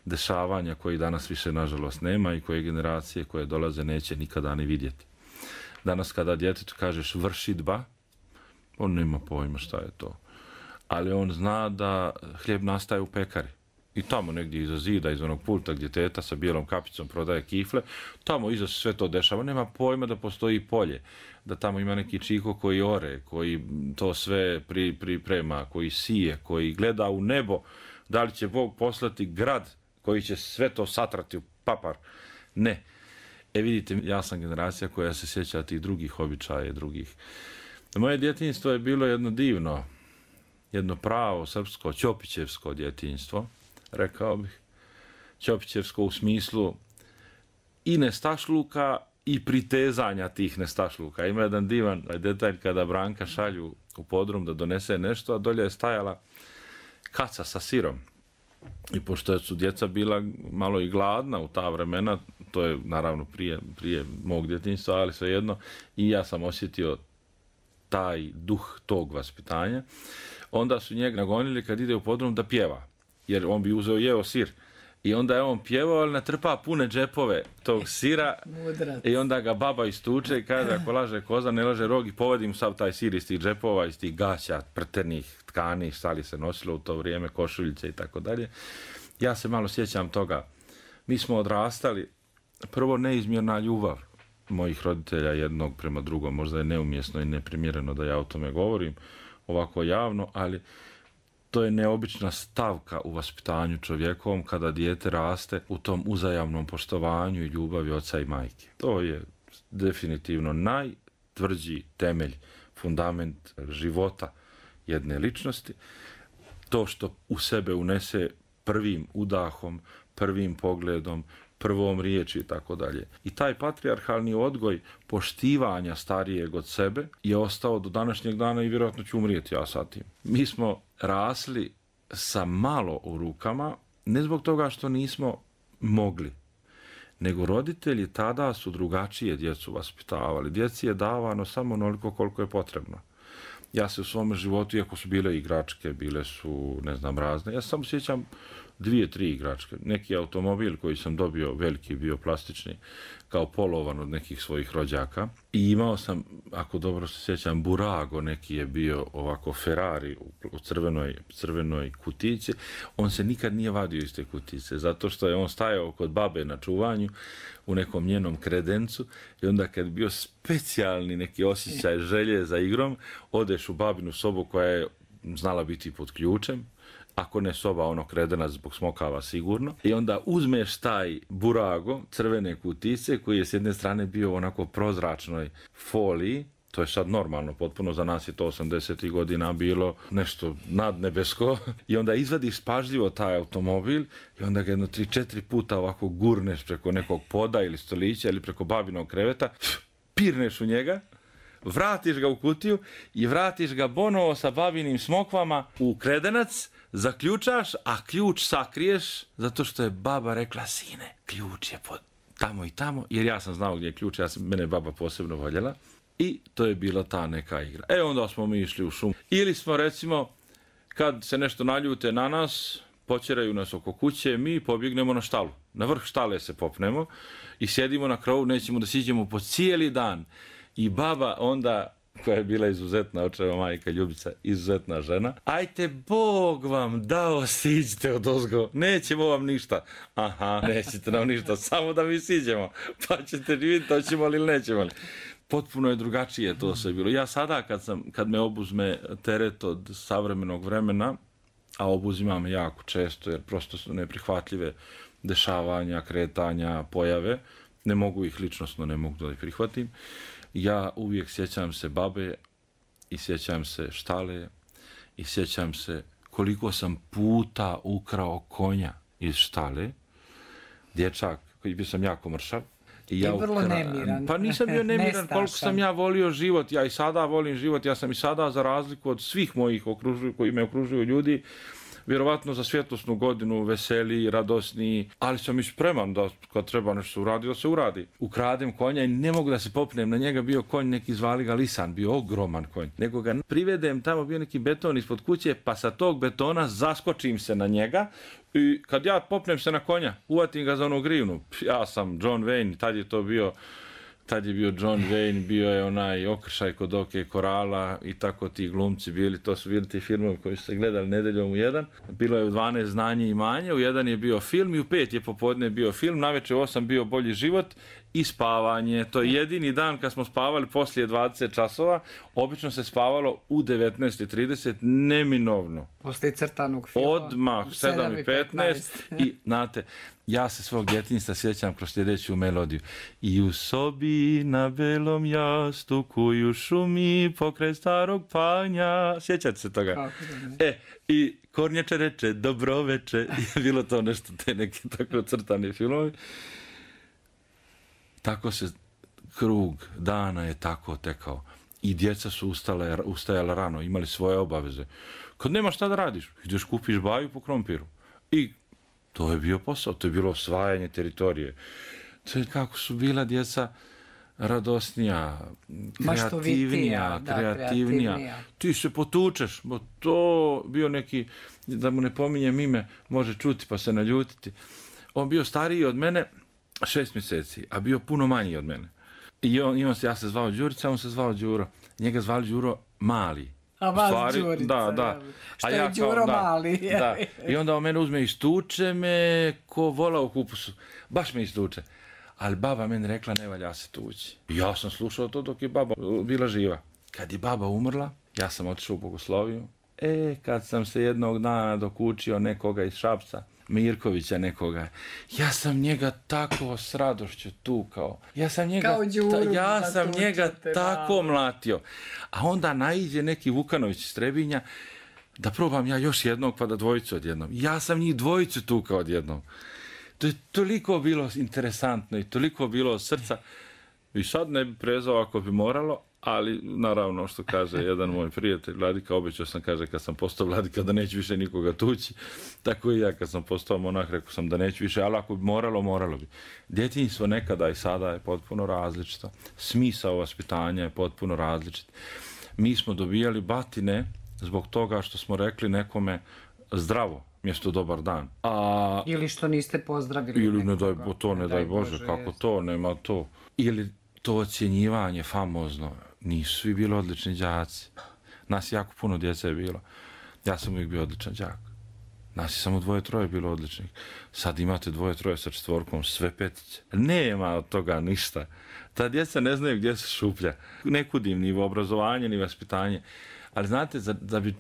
dešavanja koji danas više nažalost nema i koje generacije koje dolaze neće nikada ni vidjeti. Danas kada djetetu kažeš vršidba, on nema pojma šta je to. Ali on zna da hljeb nastaje u pekari. I tamo negdje iza zida, iz onog pulta gdje teta sa bijelom kapicom prodaje kifle, tamo iza sve to dešava. Nema pojma da postoji polje, da tamo ima neki čiko koji ore, koji to sve priprema, koji sije, koji gleda u nebo, da li će Bog poslati grad koji će sve to satrati u papar. Ne. Vidite, ja sam generacija koja se sjeća tih drugih običaja, drugih. Moje djetinjstvo je bilo jedno divno, jedno pravo srpsko, ćopićevsko djetinjstvo, rekao bih. Ćopićevsko u smislu i nestašluka i pritezanja tih nestašluka. Ima jedan divan detalj kada Branka šalju u podrum da donese nešto, a dolje je stajala kaca sa sirom. I pošto su djeca bila malo i gladna u ta vremena, to je naravno prije mog djetinjstva, ali svejedno, i ja sam osjetio taj duh tog vaspitanja, onda su njega nagonili kad ide u podrum da pjeva, jer on bi jeo sir. I onda je on pjevao, ali natrpa pune džepove tog sira. I onda ga baba istuče i kaže, ako laže koza, ne laže rog, i povedi mu sav taj sir iz tih džepova, iz tih gaća, prtenih tkani, šta li se nosilo u to vrijeme, košuljice i tako dalje. Ja se malo sjećam toga. Mi smo odrastali, prvo neizmjerna ljubav mojih roditelja jednog prema drugom. Možda je neumjesno i neprimjereno da ja o tome govorim ovako javno, ali To je neobična stavka u vaspitanju čovjekovom kada dijete raste u tom uzajamnom poštovanju i ljubavi oca i majke. To je definitivno najtvrđi temelj, fundament života jedne ličnosti. To što u sebe unese prvim udahom, prvim pogledom, prvom riječi i tako dalje. I taj patrijarhalni odgoj poštivanja starijeg od sebe je ostao do današnjeg dana i vjerojatno ću umrijeti ja sa tim. Mi smo rasli sa malo u rukama, ne zbog toga što nismo mogli, nego roditelji tada su drugačije djecu vaspitavali. Djeci je davano samo onoliko koliko je potrebno. Ja se u svom životu, iako su bile igračke, bile su, ne znam, razne, ja samo sjećam 2-3 igračke. Neki automobil koji sam dobio, veliki bio plastični, kao polovan od nekih svojih rođaka. I imao sam, ako dobro se sjećam, Burago, neki je bio ovako Ferrari u crvenoj kutici. On se nikad nije vadio iz te kutice, zato što je on stajao kod babe na čuvanju u nekom njenom kredencu i onda kad je bio specijalni neki osjećaj želje za igrom, odeš u babinu sobu koja je znala biti pod ključem, ako ne soba, ono kredenac zbog smokava sigurno. I onda uzmeš taj Burago, crvene kutice, koji je s jedne strane bio onako prozračnoj foliji, to je sad normalno, potpuno za nas je to 80. godina bilo nešto nadnebesko. I onda izvadiš pažljivo taj automobil i onda ga 3-4 puta ovako gurneš preko nekog poda ili stolića ili preko babinog kreveta, pirneš u njega, vratiš ga u kutiju i vratiš ga bonovo sa babinim smokvama u kredenac, zaključaš, a ključ sakriješ, zato što je baba rekla, sine, ključ je pod tamo i tamo, jer ja sam znao gdje je ključ, mene je baba posebno voljela. I to je bila ta neka igra. Onda smo mi išli u šumu. Ili smo, recimo, kad se nešto naljute na nas, počeraju nas oko kuće, mi pobjegnemo na štalu. Na vrh štale se popnemo i sjedimo na krovu, nećemo da siđemo po cijeli dan. I baba onda, koja je bila izuzetna, očeva majka Ljubica, izuzetna žena, ajte Bog vam dao, siđite odozgo, nećemo vam ništa. Aha, nećete nam ništa, samo da mi siđemo, pa ćete vidjeti, hoćemo li ili nećemo li. Potpuno je drugačije to sve bilo. Ja sada kad me obuzme teret od savremenog vremena, a obuzima me jako često jer prosto su neprihvatljive dešavanja, kretanja, pojave, ne mogu ih ličnosno, ne mogu da ih prihvatim. Ja uvijek sjećam se babe i sjećam se štale i sjećam se koliko sam puta ukrao konja iz štale. Dječak, koji bio sam jako mršav. I ja vrlo nemiran. Pa nisam bio nemiran, koliko sam ja volio život. Ja i sada volim život. Ja sam i sada, za razliku od svih mojih koji me okružuju ljudi, vjerovatno za svjetlosnu godinu veseliji, radosniji, ali sam i spreman da kad treba nešto uradi, da se uradi. Ukradem konja i ne mogu da se popnem na njega, bio konj, neki zvali ga Lisan, bio ogroman konj. Nego ga privedem, tamo bio neki beton ispod kuće, pa sa tog betona zaskočim se na njega i kad ja popnem se na konja, uvatim ga za onu grivnu. Ja sam John Wayne, tad je bio John Wayne, bio je onaj Okršaj kod oke korala i tako ti glumci bili, to su bili ti filmovi koji su se gledali nedeljom u 1. Bilo je u 12 Znanje i imanje, u 1 je bio film i u 5 je popodne bio film, navečer u 8 bio Bolji život i spavanje. To je jedini dan kad smo spavali poslije 20 časova, obično se spavalo u 19:30, neminovno. Poslije crtanog filma. Odmah, 7:15 i, znate, ja se svog djetinjstva sjećam kroz sljedeću melodiju. I u sobi na belom jastuku i u šumi pokraj starog panja. Sjećate se toga? I kornjača reče, dobro veče. Je bilo to nešto, te neke tako crtane filmovi. Tako se krug dana je tako tekao. I djeca su ustajala rano, imali svoje obaveze. Kad nema šta da radiš, ideš kupiš baju po krompiru. I to je bio posao, to je bilo osvajanje teritorije. To je kako su bila djeca radosnija, kreativnija. Ti se potučeš, bo to bio neki, da mu ne pominjem ime, može čuti pa se naljutiti. On bio stariji od mene 6 mjeseci, a bio puno manji od mene. I ja se zvao Đurica, on se zvao Đuro. Njega zvali Đuro Mali. A vas Đurica. Da. Što je Đuro Mali. Da. I onda on mene uzme i istuče me ko vola u kupusu. Baš me istuče. Ali baba meni rekla ne valja se tući. I ja sam slušao to dok je baba bila živa. Kad je baba umrla, ja sam otišao u bogosloviju Kad sam se jednog dana dokučio nekoga iz Šapca, Mirkovića nekoga, ja sam njega tako s radošću tukao. Ja sam njega tako mlatio. A onda naiđe neki Vukanović iz Trebinja, da probam ja još jednog, pa da dvojicu odjednom. Ja sam njih dvojicu tukao odjednom. To je toliko bilo interesantno i toliko bilo od srca. I sad ne bi prezao ako bi moralo, ali naravno što kaže jedan moj prijatelj vladika, obećao sam, kaže, kad sam postao vladika da neću više nikoga tući. Tako i ja kad sam postao monah, rekao sam da neću više, ali ako bi moralo bi. Djetinjstvo nekada i sada je potpuno različito. Smisao vaspitanja je potpuno različit. Mi smo dobijali batine zbog toga što smo rekli nekome zdravo mjesto dobar dan. Ili što niste pozdravili ili nekoga. Ne daj Bože, kako to, nema to. Ili to ocjenjivanje famozno. Nisu svi bili odlični đaci. Nas jako puno djece je bilo. Ja sam uvijek bio odličan đak. Nas je samo 2-3 bilo odličnih. Sad imate 2-3 sa 4, sve 5. Nema od toga ništa. Ta djeca ne znaju gdje se šuplja. Ne kudim ni u obrazovanje, ni vaspitanje. Ali znate, da bi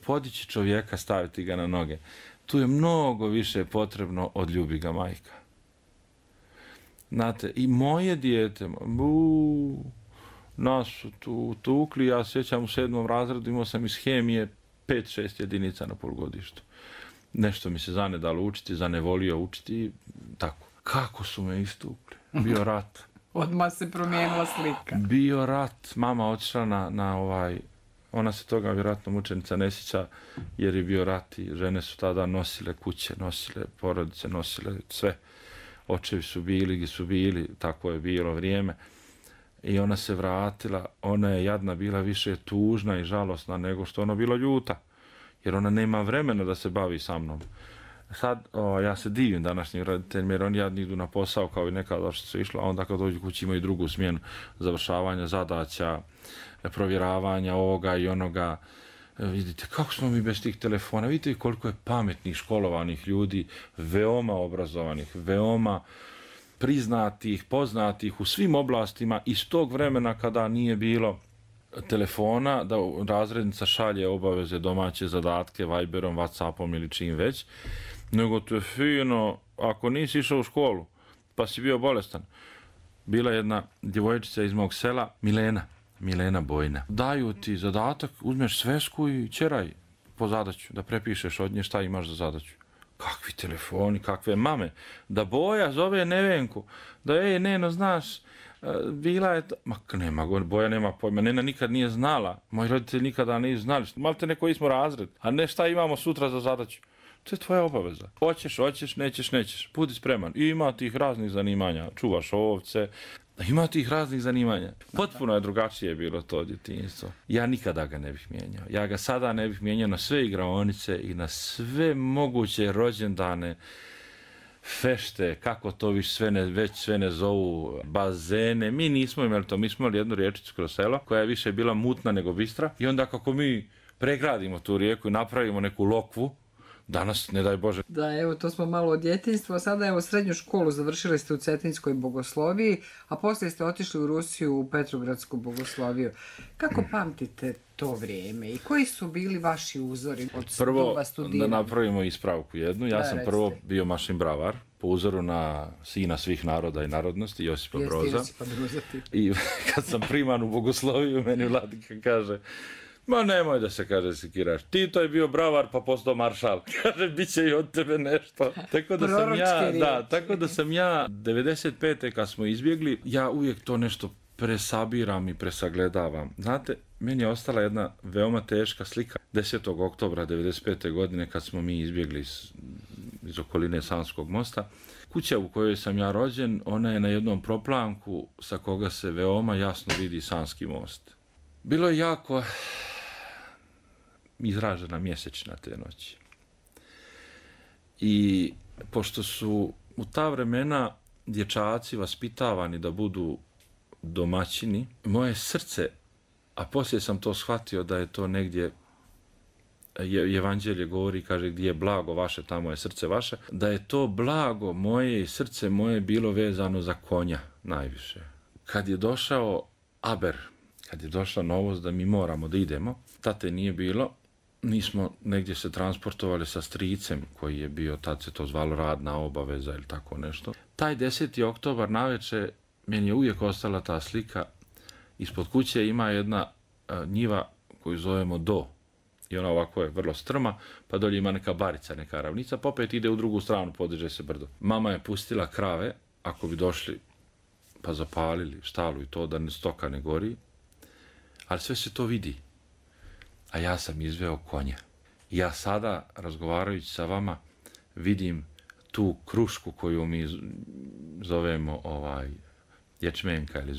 podići čovjeka, staviti ga na noge, tu je mnogo više potrebno od ljubi ga majka. Znate, i moje dijete, nas su tu tukli, ja sjećam u 7. razredu, imao sam iz hemije 5-6 jedinica na polugodištu. Nešto mi se zanedalo učiti, zanevolio učiti, tako. Kako su me istukli? Bio rat. Odmah se promijenila slika. Bio rat. Mama otišla ona se toga vjerojatno mučenica ne sjeća, jer je bio rat i žene su tada nosile kuće, nosile porodice, nosile sve. Očevi su bili gdje su bili, tako je bilo vrijeme. I ona se vratila, ona je jadna bila više tužna i žalosna nego što ona bila ljuta. Jer ona nema vremena da se bavi sa mnom. Sad, ja se divim današnjim roditeljima, jer oni jadni idu na posao kao i nekada što su išla, a onda kad dođu kući imaju drugu smjenu završavanja zadaća, provjeravanja ovoga i onoga. Vidite, kako smo mi bez tih telefona, vidite koliko je pametnih, školovanih ljudi, veoma obrazovanih, veoma priznatih, poznatih u svim oblastima iz tog vremena kada nije bilo telefona, da razrednica šalje obaveze, domaće zadatke, Viberom, Whatsappom ili čim već, nego to je fino, ako nisi išao u školu, pa si bio bolestan. Bila jedna djevojčica iz mog sela, Milena Bojna. Daju ti zadatak, uzmeš svesku i ćeraj po zadaću, da prepišeš od nje šta imaš za zadaću. Kakvi telefoni, kakve mame. Da Boja zove Nevenku, da Neno, znaš, bila je... Boja nema pojma, Nena nikad nije znala, moji roditelji nikada nisu znali, malte neko smo razred, a ne šta imamo sutra za zadaću. To je tvoja obaveza. Hoćeš, nećeš. Budi spreman. I ima tih raznih zanimanja. Čuvaš ovce. Ima tih raznih zanimanja. Potpuno je drugačije bilo to djetinjstvo. Ja nikada ga ne bih mijenjao. Ja ga sada ne bih mijenjao na sve igraonice i na sve moguće rođendane, fešte, kako to već sve ne zovu, bazene. Mi nismo imali to. Mi smo imali jednu riječicu kroz selo koja je više bila mutna nego bistra. I onda kako mi pregradimo tu rijeku i napravimo neku lokvu, danas, ne daj Bože. Da, evo, to smo malo od djetinjstva. Sada, evo, srednju školu završili ste u Cetinskoj bogosloviji, a poslije ste otišli u Rusiju u Petrogradsku bogosloviju. Kako pamtite to vrijeme i koji su bili vaši uzori od doba studiranja? Prvo, da napravimo ispravku jednu. Ja sam prvo bio mašin bravar, po uzoru na sina svih naroda i narodnosti, Josipa Broza. I kad sam priman u bogosloviju, meni vladika kaže: ma nemoj da se, kaže, sekiraš. Tito je bio bravar pa postao maršal. Kaže, bit će i od tebe nešto. Tako da sam ja 95. kad smo izbjegli, ja uvijek to nešto presabiram i presagledavam. Znate, meni je ostala jedna veoma teška slika 10. oktobra 95. godine kad smo mi izbjegli iz okoline Sanskog mosta. Kuća u kojoj sam ja rođen, ona je na jednom proplanku sa koga se veoma jasno vidi Sanski most. Bilo je jako izražena mjesečna te noći. I pošto su u ta vremena dječaci vaspitavani da budu domaćini, moje srce, a poslije sam to shvatio da je to negdje, Evanđelje govori, kaže, gdje je blago vaše, tamo je srce vaše, da je to blago moje i srce moje bilo vezano za konja najviše. Kad je došao Aber, kad je došla novost da mi moramo da idemo, tate nije bilo, mi smo negdje se transportovali sa stricem koji je bio, tad se to zvalo radna obaveza ili tako nešto. Taj 10. oktobar navečer meni je uvijek ostala ta slika. Ispod kuće ima jedna njiva koju zovemo Do. I ona ovako je vrlo strma, pa dolje ima neka barica, neka ravnica, pa opet ide u drugu stranu, podiže se brdo. Mama je pustila krave, ako bi došli pa zapalili štalu i to da stoka ne gori, ali sve se to vidi. A ja sam izveo konja. I ja sada, razgovarajući sa vama, vidim tu krušku koju mi zovemo ječmenka ili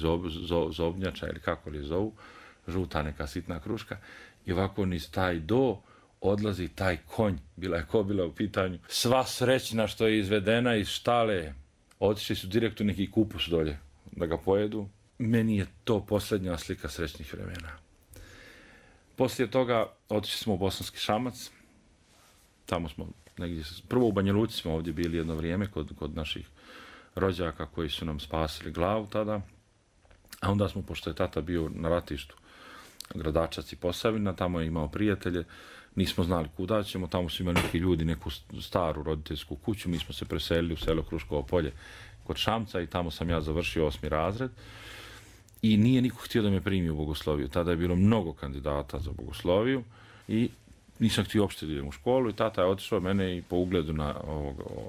zobnjača ili kako li zovu, žuta neka sitna kruška, i ovako niz taj Do odlazi taj konj, bila je kobila u pitanju, sva srećna što je izvedena iz štale, otišli su direkt u neki kupus dolje da ga pojedu. Meni je to posljednja slika srećnih vremena. Poslije toga otišli smo u Bosanski Šamac, tamo smo negdje, prvo u Banja Luci smo ovdje bili jedno vrijeme kod naših rođaka koji su nam spasili glavu tada, a onda smo, pošto je tata bio na ratištu, Gradačac i Posavina, tamo je imao prijatelje, nismo znali kuda ćemo, tamo su imali neki ljudi, neku staru roditeljsku kuću, mi smo se preselili u selo Kruškovo polje kod Šamca i tamo sam ja završio 8. razred i nije niko htio da me primi u bogosloviju. Tada je bilo mnogo kandidata za bogosloviju i nisam htio uopšte da idem u školu i tata je otišao mene i po ugledu na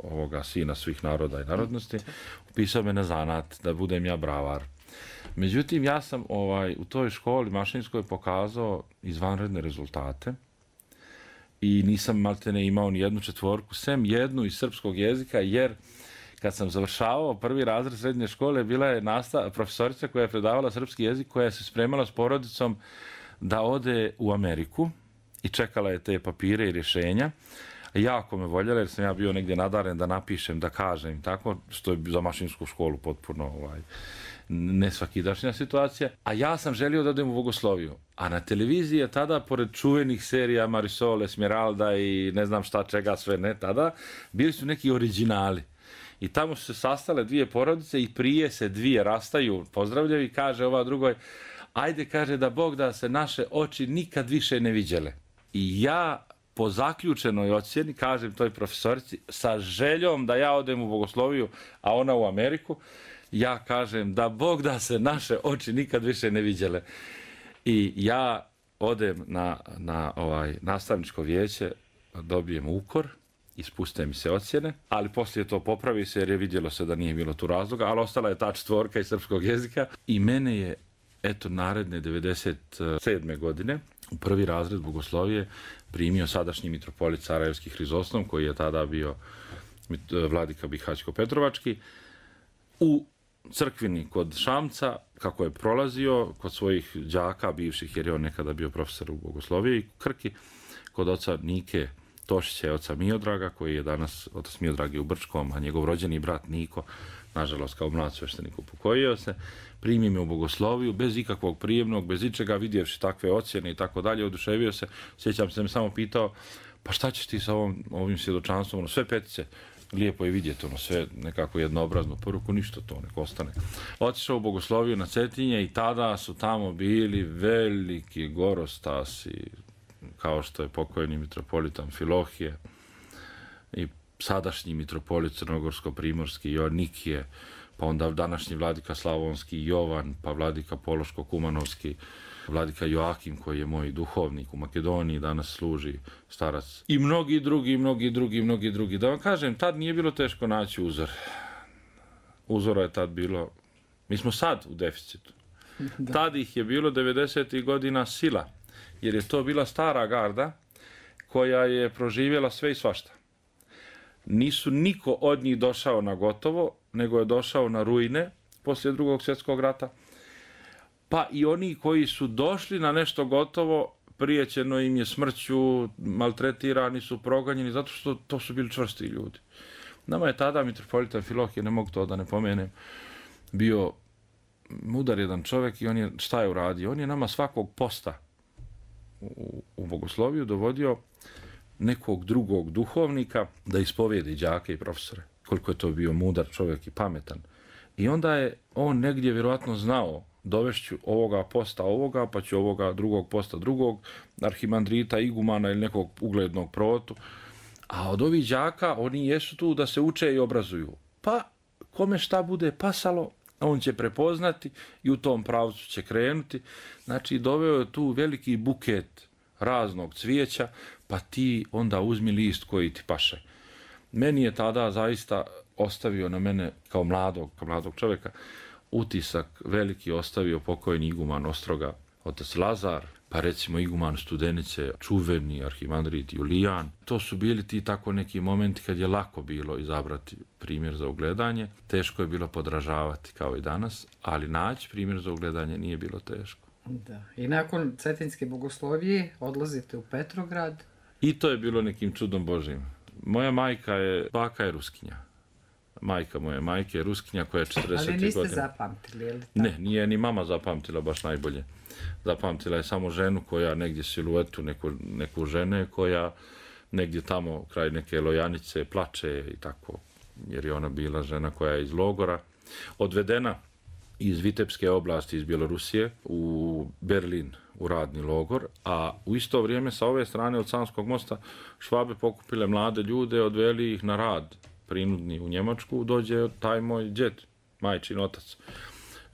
ovoga sina svih naroda i narodnosti upisao me na zanat da budem ja bravar. Međutim, ja sam u toj školi mašinskoj pokazao izvanredne rezultate i nisam maltene imao ni jednu četvorku, sem jednu iz srpskog jezika, jer kad sam završavao 1. razred srednje škole, bila je profesorica koja je predavala srpski jezik, koja se spremala s porodicom da ode u Ameriku i čekala je te papire i rješenja. Jako me voljela jer sam ja bio negdje nadaren da napišem, da kažem, tako, što je za mašinsku školu potpuno nesvakidašnja situacija. A ja sam želio da odem u bogosloviju. A na televiziji je tada, pored čuvenih serija Marisol, Esmeralda i ne znam šta čega sve ne tada, bili su neki originali. I tamo su se sastale dvije porodice i prije se dvije rastaju, pozdravljaju i kaže ova drugoj, ajde, kaže, da Bog da se naše oči nikad više ne viđele. I ja po zaključenoj ocjeni kažem toj profesorici sa željom da ja odem u bogosloviju, a ona u Ameriku, ja kažem da Bog da se naše oči nikad više ne viđele. I ja odem na nastavničko vijeće, dobijem ukor, ispuste mi se ocjene, ali poslije to popravi se jer je vidjelo se da nije bilo tu razloga, ali ostala je ta četvorka iz srpskog jezika i mene je, eto, naredne 97. godine u 1. razred bogoslovije primio sadašnji mitropolit Sarajevski Hrizostom, koji je tada bio vladika Bihaćko-Petrovački, u crkvini kod Šamca, kako je prolazio kod svojih đaka bivših, jer je on nekada bio profesor u bogosloviji, Krki, kod oca Nike Tošića i oca Miodraga, koji je danas, otac Miodrag je u Brčkom, a njegov rođeni brat Niko, nažalost kao mlad sveštenik upokojio se, primi me u bogosloviju, bez ikakvog prijemnog, bez ičega, vidjevši takve ocjene i tako dalje, oduševio se. Sjećam se, me samo pitao, pa šta ćeš ti sa ovim svjedočanstvom, sve petice, lijepo je vidjeti, sve nekako jednoobraznu poruku, ništa to, nek ostane. Otišao u bogosloviju na Cetinje i tada su tamo bili veliki gorostasi, kao što je pokojni mitropolit Amfilohije i sadašnji mitropolit Crnogorsko-Primorski Joannikije, pa onda današnji vladika Slavonski Jovan, pa vladika Pološko-Kumanovski, vladika Joakim, koji je moj duhovnik u Makedoniji, danas služi starac. I mnogi drugi. Da vam kažem, tad nije bilo teško naći uzor. Uzora je tad bilo, mi smo sad u deficitu. Tad ih je bilo 90. godina sila, jer je to bila stara garda koja je proživjela sve i svašta. Nisu niko od njih došao na gotovo, nego je došao na ruine poslije Drugog svjetskog rata. Pa i oni koji su došli na nešto gotovo, prijećeno im je smrću, maltretirani su, proganjeni, zato što to su bili čvrsti ljudi. Nama je tada mitropolit Amfilohije, ne mogu to da ne pomenem, bio mudar jedan čovjek i on je, šta je uradio? On je nama svakog posta u bogosloviju dovodio nekog drugog duhovnika da ispovijedi đake i profesore. Koliko je to bio mudar čovjek i pametan. I onda je on negdje vjerojatno znao dovešću ovoga posta ovoga, pa ću ovoga drugog posta drugog, arhimandrita, igumana ili nekog uglednog protu. A od ovih đaka, oni jesu tu da se uče i obrazuju. Pa, kome šta bude pasalo, on će prepoznati i u tom pravcu će krenuti. Znači, doveo je tu veliki buket raznog cvijeća, pa ti onda uzmi list koji ti paše. Meni je tada zaista ostavio na mene kao mladog čovjeka utisak veliki ostavio pokojni iguman Ostroga, otac Lazar, pa recimo iguman Studenice, čuveni arhimandrit Julijan. To su bili ti tako neki momenti kad je lako bilo izabrati primjer za ugledanje. Teško je bilo podražavati kao i danas, ali naći primjer za ugledanje nije bilo teško. Da. I nakon Cetinske bogoslovije odlazite u Petrograd. I to je bilo nekim čudom Božim. Moja baka je Ruskinja. Majka moje majke je Ruskinja koja je 40 godina. Ali niste zapamtili, je li tako? Ne, nije ni mama zapamtila baš najbolje. Zapamtila je samo ženu koja negdje siluetu neku žene koja negdje tamo kraj neke Lojanice plače i tako. Jer je ona bila žena koja je iz logora odvedena iz Vitebske oblasti iz Bjelorusije u Berlin u radni logor, a u isto vrijeme sa ove strane od Sanskog mosta Švabe pokupile mlade ljude, odveli ih na rad prinudni u Njemačku, dođe taj moj djed, majčin otac.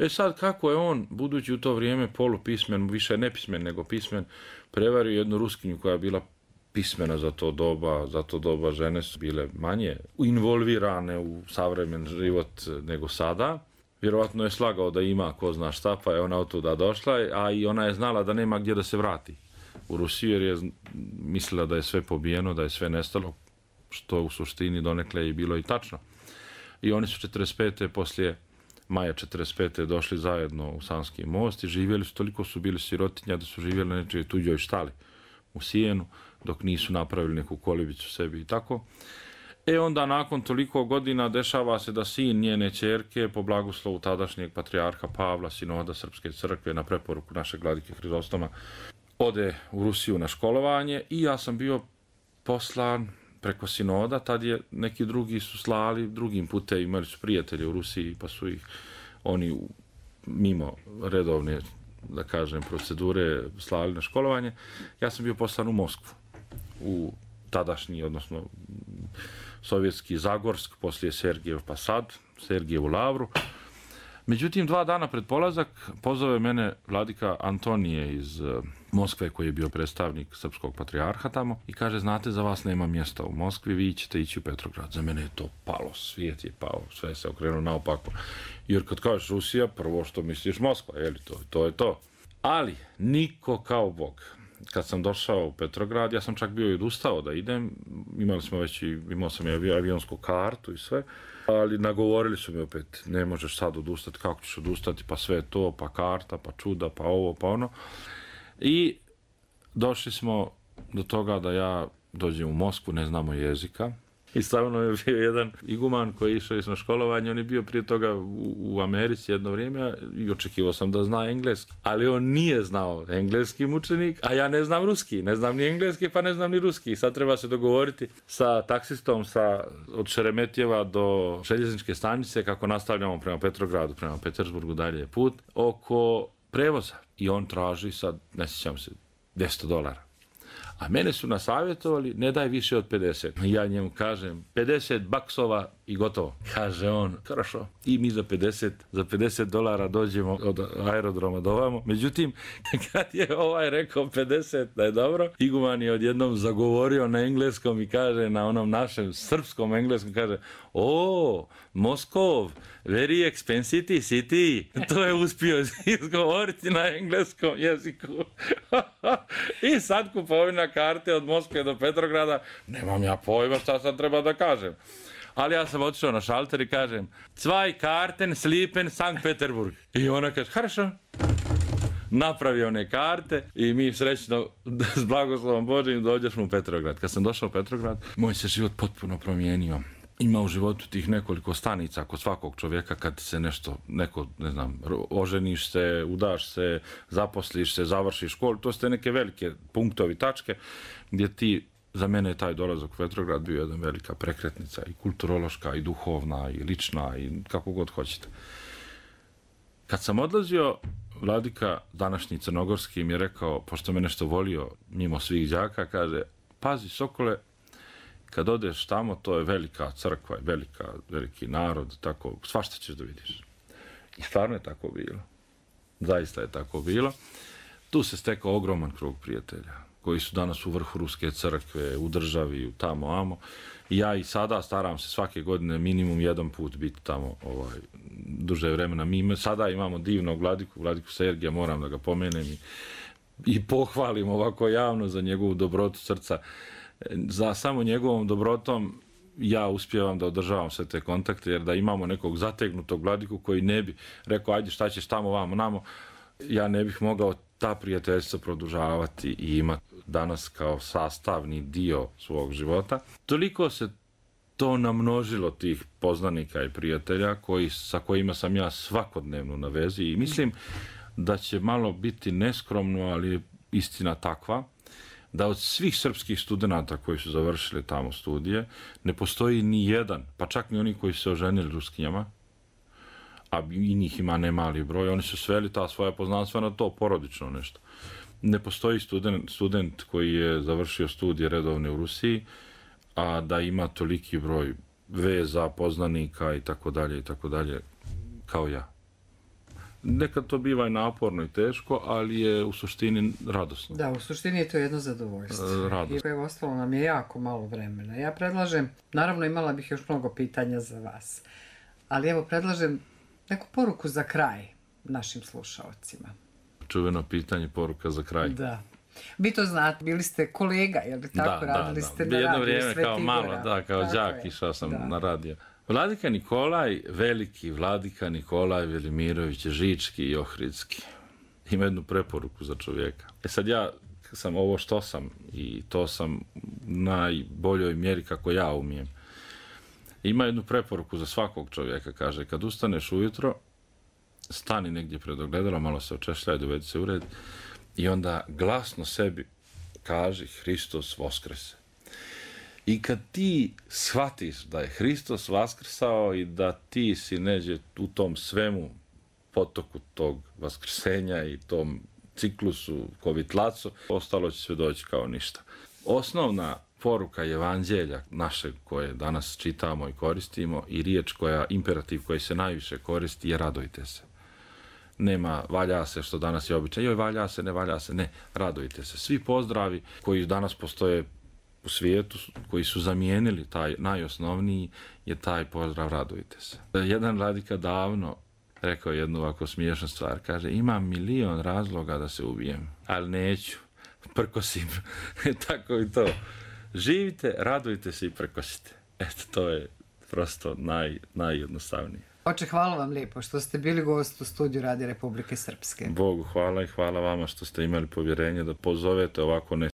Sad kako je on, budući u to vrijeme polupismen, više nepismen nego pismen, prevario jednu Ruskinju koja je bila pismena za to doba žene su bile manje involvirane u savremen život nego sada. Vjerovatno je slagao da ima ko zna šta, pa je ona od tuda došla, a i ona je znala da nema gdje da se vrati u Rusiju, jer je mislila da je sve pobijeno, da je sve nestalo, što u suštini donekle je bilo i tačno. I oni su 45. poslije maja 45. došli zajedno u Sanski most i živjeli su, toliko su bili sirotinja da su živjeli na nečoj tuđoj štali u Sijenu, dok nisu napravili neku kolibicu sebi i tako. Onda nakon toliko godina dešava se da sin njene ćerke po blagoslovu tadašnjeg patrijarha Pavla, sinoda Srpske crkve, na preporuku našeg vladike Hrizostoma, ode u Rusiju na školovanje i ja sam bio poslan preko sinoda. Tad je neki drugi su slali drugim putem, imali su prijatelje u Rusiji pa su ih oni mimo redovne, da kažem, procedure slali na školovanje. Ja sam bio poslan u Moskvu, u tadašnji, odnosno sovjetski Zagorsk, poslije Sergijev Pasad, Sergijevu Lavru. Međutim, 2 dana pred polazak pozove mene vladika Antonije iz Moskve, koji je bio predstavnik srpskog patrijarha tamo, i kaže, znate, za vas nema mjesta u Moskvi, vi ćete ići u Petrograd. Za mene je to palo, svijet je pao, sve se okrenuo naopako. Jer kad kažeš Rusija, prvo što misliš Moskva, je li to je to. Ali, niko kao Bog. Kad sam došao u Petrograd, ja sam čak bio i odustao da idem, imao sam i avionsku kartu i sve, ali nagovorili su mi opet, ne možeš sad odustati, kako ćeš odustati, pa sve to, pa karta, pa čuda, pa ovo, pa ono. I došli smo do toga da ja dođem u Moskvu, ne znamo jezika. I stavno je bio jedan iguman koji je išao na školovanje, on je bio prije toga u Americi jedno vrijeme i očekivao sam da zna engleski. Ali on nije znao engleski mučenik, a ja ne znam ruski, ne znam ni engleski pa ne znam ni ruski. Sad treba se dogovoriti sa taksistom od Šeremetjeva do željezničke stanice, kako nastavljamo prema Petrogradu, prema Petersburgu, dalje je put, oko prevoza. I on traži sad, ne sjećam se, $200. A mene su nasavjetovali, ne daj više od 50. Ja njemu kažem, $50 i gotovo. Kaže on, хорошо. I mi za $50 dođemo od aerodroma do ovamo. Međutim, kad je rekao 50 da je dobro, iguman je odjednom zagovorio na engleskom i kaže, na onom našem srpskom engleskom, kaže, Moskov, very expensive city. To je uspio izgovoriti na engleskom jeziku. I sad kupovina karte od Moskve do Petrograda, nemam ja pojma šta sad treba da kažem. Ali ja sam otišao na šalter i kažem, 2 karten slipen Sankt Peterburg. I ona kaže, хорошо. Napravio one karte i mi srećno s blagoslovom Božjim dođemo u Petrograd. Kad sam došao u Petrograd, moj se život potpuno promijenio. Ima u životu tih nekoliko stanica kod svakog čovjeka kad se oženiš se, udaš se, zaposliš se, završiš školu. To su neke velike punktovi, tačke gdje za mene je taj dolazak u Petrograd bio jedna velika prekretnica i kulturološka i duhovna i lična i kako god hoćete. Kad sam odlazio Vladika, današnji crnogorski, mi je rekao, pošto me nešto volio mimo svih đaka, kaže, pazi Sokole, kad odeš tamo, to je velika crkva, veliki narod, tako, svašta ćeš da vidiš. I stvarno je tako bilo. Zaista je tako bilo. Tu se stekao ogroman krug prijatelja, koji su danas u vrhu Ruske crkve, u državi, tamo, amo. I ja i sada staram se svake godine minimum jedan put biti tamo duže vremena. Mi sada imamo divnog Vladiku Sergija, moram da ga pomenem i pohvalim ovako javno za njegovu dobrotu srca. Za samo njegovom dobrotom ja uspijevam da održavam sve te kontakte, jer da imamo nekog zategnutog Vladiku koji ne bi rekao, ajde šta ćeš tamo, vamo, namo, ja ne bih mogao ta prijateljstva produžavati i imati danas kao sastavni dio svog života. Toliko se to namnožilo tih poznanika i prijatelja sa kojima sam ja svakodnevno na vezi i mislim da će malo biti neskromno, ali je istina takva, da od svih srpskih studenata koji su završili tamo studije ne postoji ni jedan, pa čak ni oni koji su se oženili Ruskinjama, a i njih ima nemali broj, oni su sveli ta svoja poznanstva na to, porodično nešto. Ne postoji student koji je završio studije redovne u Rusiji, a da ima toliki broj veza, poznanika i tako dalje, kao ja. Nekad to biva i naporno i teško, ali je u suštini radosno. Da, u suštini je to jedno zadovoljstvo. Radosno. I evo, ostalo nam je jako malo vremena. Ja predlažem, naravno imala bih još mnogo pitanja za vas, ali evo predlažem neku poruku za kraj našim slušaocima. Čuveno pitanje, poruka za kraj. Da. Vi to znate, bili ste kolega, je li tako? Radili ste na radiju jedno vrijeme Sveti kao malo, Gora. kao đak išao sam na radio. Vladika Nikolaj, veliki Vladika Nikolaj Velimirović, Žički i Ohridski. Ima jednu preporuku za čovjeka. Sad ja sam ovo što sam i to sam najboljoj mjeri kako ja umijem. Ima jednu preporuku za svakog čovjeka, kaže, kad ustaneš ujutro, stani negdje pred ogledalom, malo se očešljaj, dovedi se u red i onda glasno sebi kaži Hristos Voskrese. I kad ti shvatiš da je Hristos vaskrsao i da ti si neđe u tom svemu potoku tog vaskrsenja i tom ciklusu kovitlacu, ostalo će sve doći kao ništa. Osnovna poruka evanđelja našeg koje danas čitamo i koristimo i riječ imperativ koji se najviše koristi je radujte se. Nema valja se, što danas je običaj, joj valja se, ne, radujte se. Svi pozdravi koji danas postoje u svijetu, koji su zamijenili taj najosnovniji, je taj pozdrav radujte se. Jedan Vladika davno rekao jednu ovako smiješnu stvar, kaže, imam 1.000.000 razloga da se ubijem, ali neću, prkosim. Tako i to. Živite, radujte se i prkosite. Eto, to je prosto najjednostavnije. Oče, hvala vam lijepo što ste bili gost u studiju Radija Republike Srpske. Bogu hvala i hvala vama što ste imali povjerenje da pozovete ovako